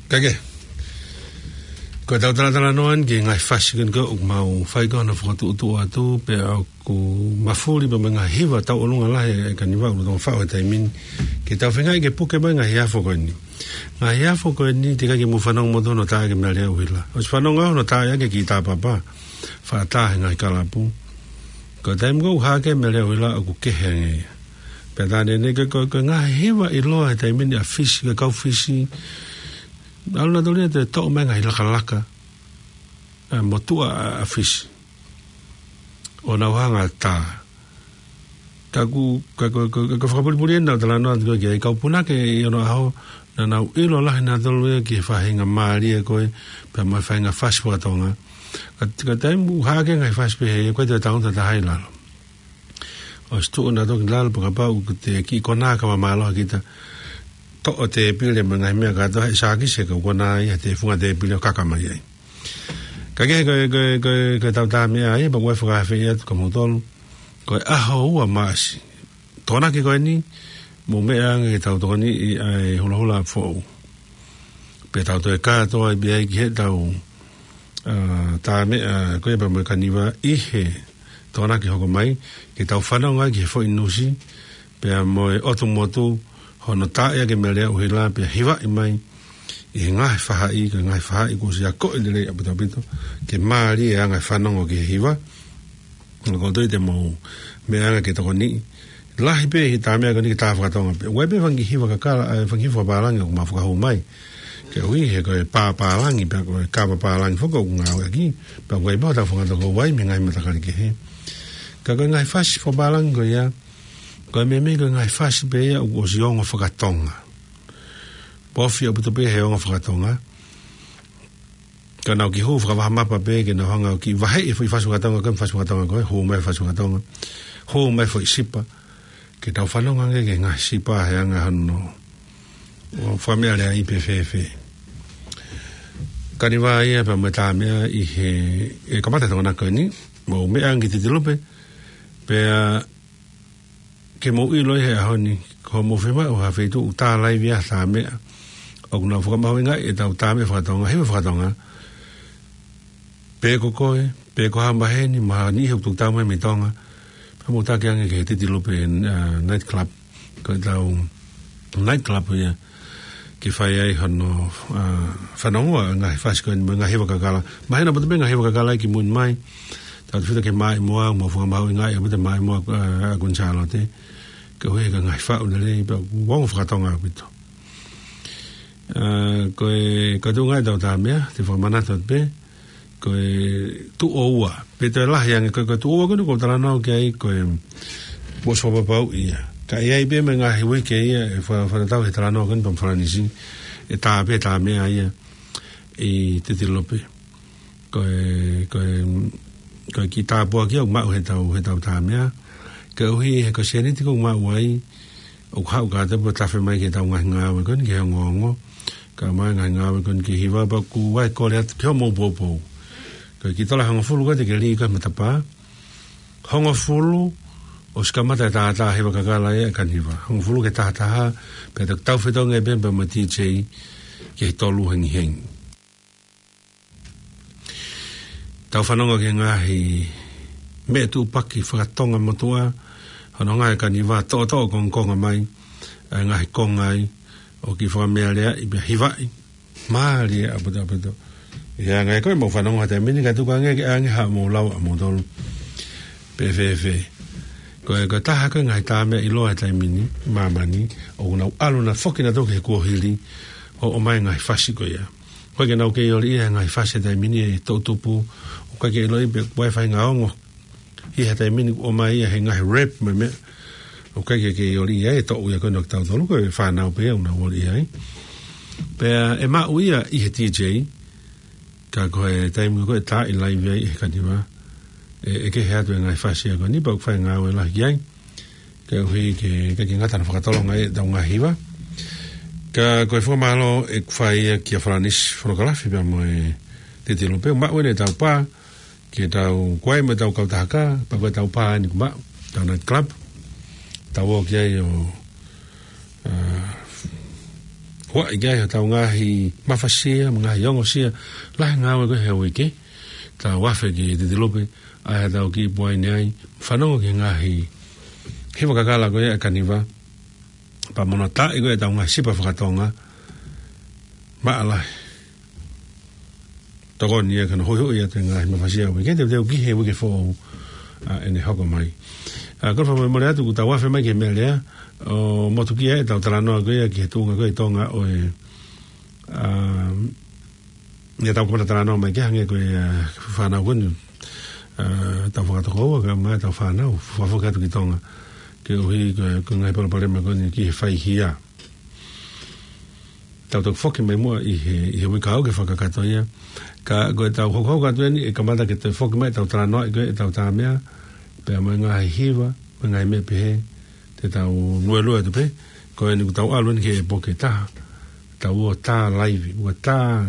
Kae kehe, ko ʻetau talatalanoa eni ki he ngaahi fasi ko eni ʻoku mau fai ko ē hono fokotuʻutuʻu atu, pea ʻoku mafuli pē mo e ngaahi hiva tauʻolunga lahi ʻa e Kaniva ʻoku tau faʻu he taimi ni. Ke tau feingaʻi ke puke mai e ngaahi afo ko eni. Ngaahi afo ko eni, teʻeki ai ke mou fanongo moutolu hono tā ʻaki e meʻa lea ʻuhila. ʻOsi fanongo hono tā ʻaki e kiʻi tāpapa, faʻa tā he ngaahi kalapu. Ko e taimi ko ē ʻoku hā ʻaki e meʻa lea ʻuhila ʻoku kehe ange ia. Pea tā ʻanenai ko e, ko e, ko e ngaahi hiva ʻiloa he taimi ni ʻa Fisi, ko e kau Fisi. ʻAlu nautolu ia ʻo toʻo mai e ngaahi lakalaka, ʻa e motuʻa ʻa, ʻa Fisi. ʻO nau hanga ʻo tā. Ka ʻoku, ka ʻoku, ka ʻoku, ka ʻoku fakapulipuli eni ʻenau talanoa atu ko ē ki ai, kau punake ʻi onoʻaho, naʻa nau ʻilo lahi nautolu ia ki he faʻahinga mālie ko ē, pea mo e faʻahinga fasi faka-Tonga. Ka, ka taimi ʻoku hā ʻaki e ngaahi fasi pehē, ʻoku ʻikai toe taʻotaha ʻi lalo. ʻOsi tuʻu nautolu ki lalo pea kapau ʻoku te kiʻi konā ka mālohi kita, toʻo e tēpile mo e ngaahi meʻa kātoa he sākisi, ka konā ia he funga tēpile ʻo kaka mai ai. Kae kehe ko e, ko e, ko e, ko ʻetau tā meʻa ia, pea ʻoku ou fakaafeʻi atu kia moutolu. Ko e ʻaho ua Maʻasi. Tokonaki ko eni, mou meʻa ange ke tau tokoniʻi ʻa e hulahula foʻou. Pea tau toe kātoa ai pē ai ki heʻetau, ā, tā meʻa ko ē pea mo e Kaniva ʻi he Tokonaki hoko mai, ke tau fanongo ai ki he foʻi nusi, pea mo e ʻotu motu, hono tā ʻaki e meʻa lea ʻuhila, pea hivaʻi mai ʻi he ngaahi faʻahi, ko e ngaahi faʻahi kuo ʻosi akoʻi lelei ʻaupito ʻaupito, ke mālie e anga e fanongo ki he hiva. Ko e toe te mou meʻa ange ke tokoniʻi. Lahi pē e tā meʻa ko eni ke tā faka-Tonga pē. ʻOku ʻi ai pē fanga kiʻi hiva kakala, ē, fanga kiʻi hiva fakapālangi ʻoku mau fakahū mai. Koeʻuhi he ko e pā pālangi, pea ko e kava pālangi foki ʻoku ngāueʻaki. Pea ʻoku ʻi ai pē hotau fanga tokoua mei he ngaahi matakali kehe. Ka ko e ngaahi fasi fakapālangi ko ia, ko e meimei ko e ngaahi fasi pē ia ʻoku ʻosi ongo faka-Tonga. Pofi ʻaupito pē he ongo faka-Tonga. Ka nau kiʻi hū fakavahamapa pē ke nau hanga ʻo kiʻi vaheʻi e foʻi fasi faka-Tonga ko ē, fasi faka-Tonga ko ē, hū mai fasi faka-Tonga, hū mai foʻi sipa. Ke tau fanongo ange ki he ngaahi sipa he anga hono, ʻo fakameʻaleaʻi pē fēfē. Kaniva ia pea mo e tā meʻa ʻi he, ʻe kamata e Tokonaki ko eni, mou meʻa ange ki Titilupe, pea ke mou ʻilo ʻi he ʻaho ni, ko hoʻomou fiemaʻu ha feituʻu tā laivi ʻa e tā meʻa. ʻOku nau fakamahuʻingaʻi ʻetau tā meʻa faka-Tonga, hiva faka-Tonga. Pe ko koe, pe ko ha maheni, mo ha niʻihi ʻoku tuku tau mai mei Tonga. Pea mou taki ange ki he Titilupe, ā, night club. Ko ʻetau night club ia. Ke fai ai hono, ā, fanongoa e ngaahi fasi ko eni mo e ngaahi hiva kakala. Mahino ʻaupito pē e ngaahi hiva kakala ia ki mui ni mai. Tautefito ki he Maʻimoa, mou fakamahuʻingaʻi ʻaupito e Maʻimoa, ā, ʻa Kuini Sālote. Koeʻuhi he ko e ngaahi faʻu lelei, pea ʻoku ongo faka-Tonga ʻaupito. Ā, ko e, ko e tuʻunga ia ʻetau tā meʻa, te u fakamanatu atu pē. Ko e tuʻo ua. Pe toe lahi ange, ko e, ko e tuʻo ua ko eni ʻoku ou talanoa ki ai, ko e, ʻosi fakapapauʻi ia. Ka ʻe ʻi ai pē mo e ngaahi uike ia ʻe fa-, fakatatau he talanoa ko eni pea mo Falanisi, ʻe tā pē tā meʻa ia ʻi Titilupe. Ko e, ko e, ko e kiʻi tāpuaki ia ʻoku maʻu heʻetau, heʻetau tā meʻa. Koeʻuhi he ko e sēniti ʻoku maʻu ai, ʻoku haʻu kātoa pē ʻo tafe mai ki heʻetau ngaahi ngāue ko eni ki he ongoongo. Kae ʻumaʻā e ngaahi ngāue ko eni ki he hiva, pea ʻoku ou kole atu ki hoʻomou poupou. Ko e kiʻi tola hongofulu ko ē te ke lī ko ē he matapā. Hongofulu, ʻosi kamata e tātā hiva kakala ia ʻa e Kaniva. Hongofulu ki he taha taha, pea te tau fetongi pē pea mo e DJ ki he tolu hengihengi. Tau fanongo ki he ngaahi meʻa tūpaki faka-Tonga motuʻa, Fanongo e kaniva toʻotoʻo kongokonga mai, ʻa e ngaahi konga ai, ʻo kiʻi fakamealeaʻi pea hivaʻi. Mālie ʻaupito ʻaupito. ʻIo, ngaahi ko e mau fanongo he taimi ni ka tuku ange ke ʻange haʻamou lau ʻamoutolu. Pe fēfē. Ko e, ko e taha ko e ngaahi tā meʻa ʻiloa he taimi ni, māmani, ʻoku nau ʻalu ʻo foki nautolu ki he kuohili, ʻo ʻomai e ngaahi fasi ko ia. ʻOku ʻikai ke nau kei ʻoliʻia he ngaahi fasi he taimi ni ʻe toʻutupu, ʻoku ʻikai ke ʻiloʻi pe ʻoku ʻi ai e faʻahinga ongo ʻi he taimi ni ʻoku ʻomai ia he ngaahi rap mo e meʻa. ʻOku ʻikai ke kei ʻoliʻia ʻe toʻu ia ko ena ʻo kitautolu, ko e fānau pē ʻoku nau ʻoliʻia ai. Pea ʻe maʻu ia ʻi he D J, ka ko e taimi ko ē ʻe tā ʻi live ai ʻe he kaniva, ʻe, ʻe kehe atu e ngaahi fasi ia ko eni, pea ʻoku fai e ngāue lahi ki ai. Koeʻuhi ke, ke, ke ngata ʻene fakatolonga ʻetau ngaahi hiva. Ka ko e fakamālō ʻoku fai ia kia Falanisi Fonokalafi pea mo e Titi Lupe, maʻu ʻene tau pā, ke tau kuai mo ʻetau kautaha kā, pea ko ʻetau pā eni ʻoku maʻu, ʻetau night club. Tau ō ki ai ʻo, ā, huaʻi ki ai hotau ngaahi mafasia, mo e ngaahi ongosia, lahi e ngāue ko ē he uike, tau afe ki Titi Lupe, ʻai haʻatau kiʻi puaine ai, fanongo ki he ngaahi hiva kakala ko ia ʻa e kaniva, pea mo hono taaʻi ko ē ʻetau ngaahi sipa faka-Tonga, maʻa lahi. Tokoni ia ki hono huʻihuʻi atu e ngaahi mafasia ʻo e uike, teuteu ki he uike foʻou, ā, ʻene hoko mai. Ā, ko e fakamolemole atu kuo tau afe mai ki he meʻa lea, ʻo motukia ʻetau talanoa ko ia ki he tuʻunga ko ē ʻi Tonga ʻo e, ā, ʻetau kamata talanoa mai ki ai hangē ko e, ā, fānau ko eni, ā, tau fakatokoua, kae ʻumaʻā ʻetau fānau, fakafoki atu ki Tonga. Koeʻuhi ko e, ko e ngaahi palopalema ko eni ki he faihia. Tau toki foki mai muʻa ʻi he, ʻi he uike kahaʻu ke fakakakato ia. Ka ko ʻetau hokohoko atu eni, ʻe kamata ke toe foki mai ʻetau talanoaʻi ko ē ʻetau tā meʻa, pea mo e ngaahi hiva, mo e ngaahi meʻa pehē, te tau luelue atu pē, ko eni kuo tau ʻalu eni ki he ʻepoke taha, tau ō tā live, ua tā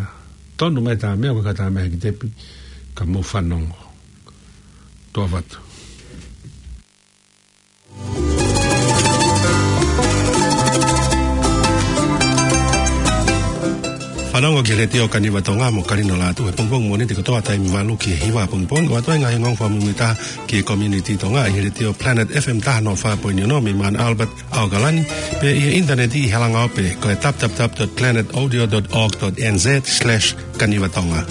tonu mai tā meʻa, ko e kā tā meʻa he ki tepi, ka mou fanongo. Tuʻa ʻofa atu. Fanongo ki he Letiō Kaniva Tonga mo Kalino Lātū he pongipongi Mōnite kotoa taimi valu ki he hiva pongipongi, ʻo ʻoatu ai e ngaahi ongoongo fakamuimuitaha ki he community Tonga ʻi he Letiō Planet F M taha noa fā poini ono mei Mount Albert, ʻAokalani, pea ʻi he ʻinitaneti ʻi he langaope ko e w w w dot planet audio dot org dot n z slash kaniva tonga.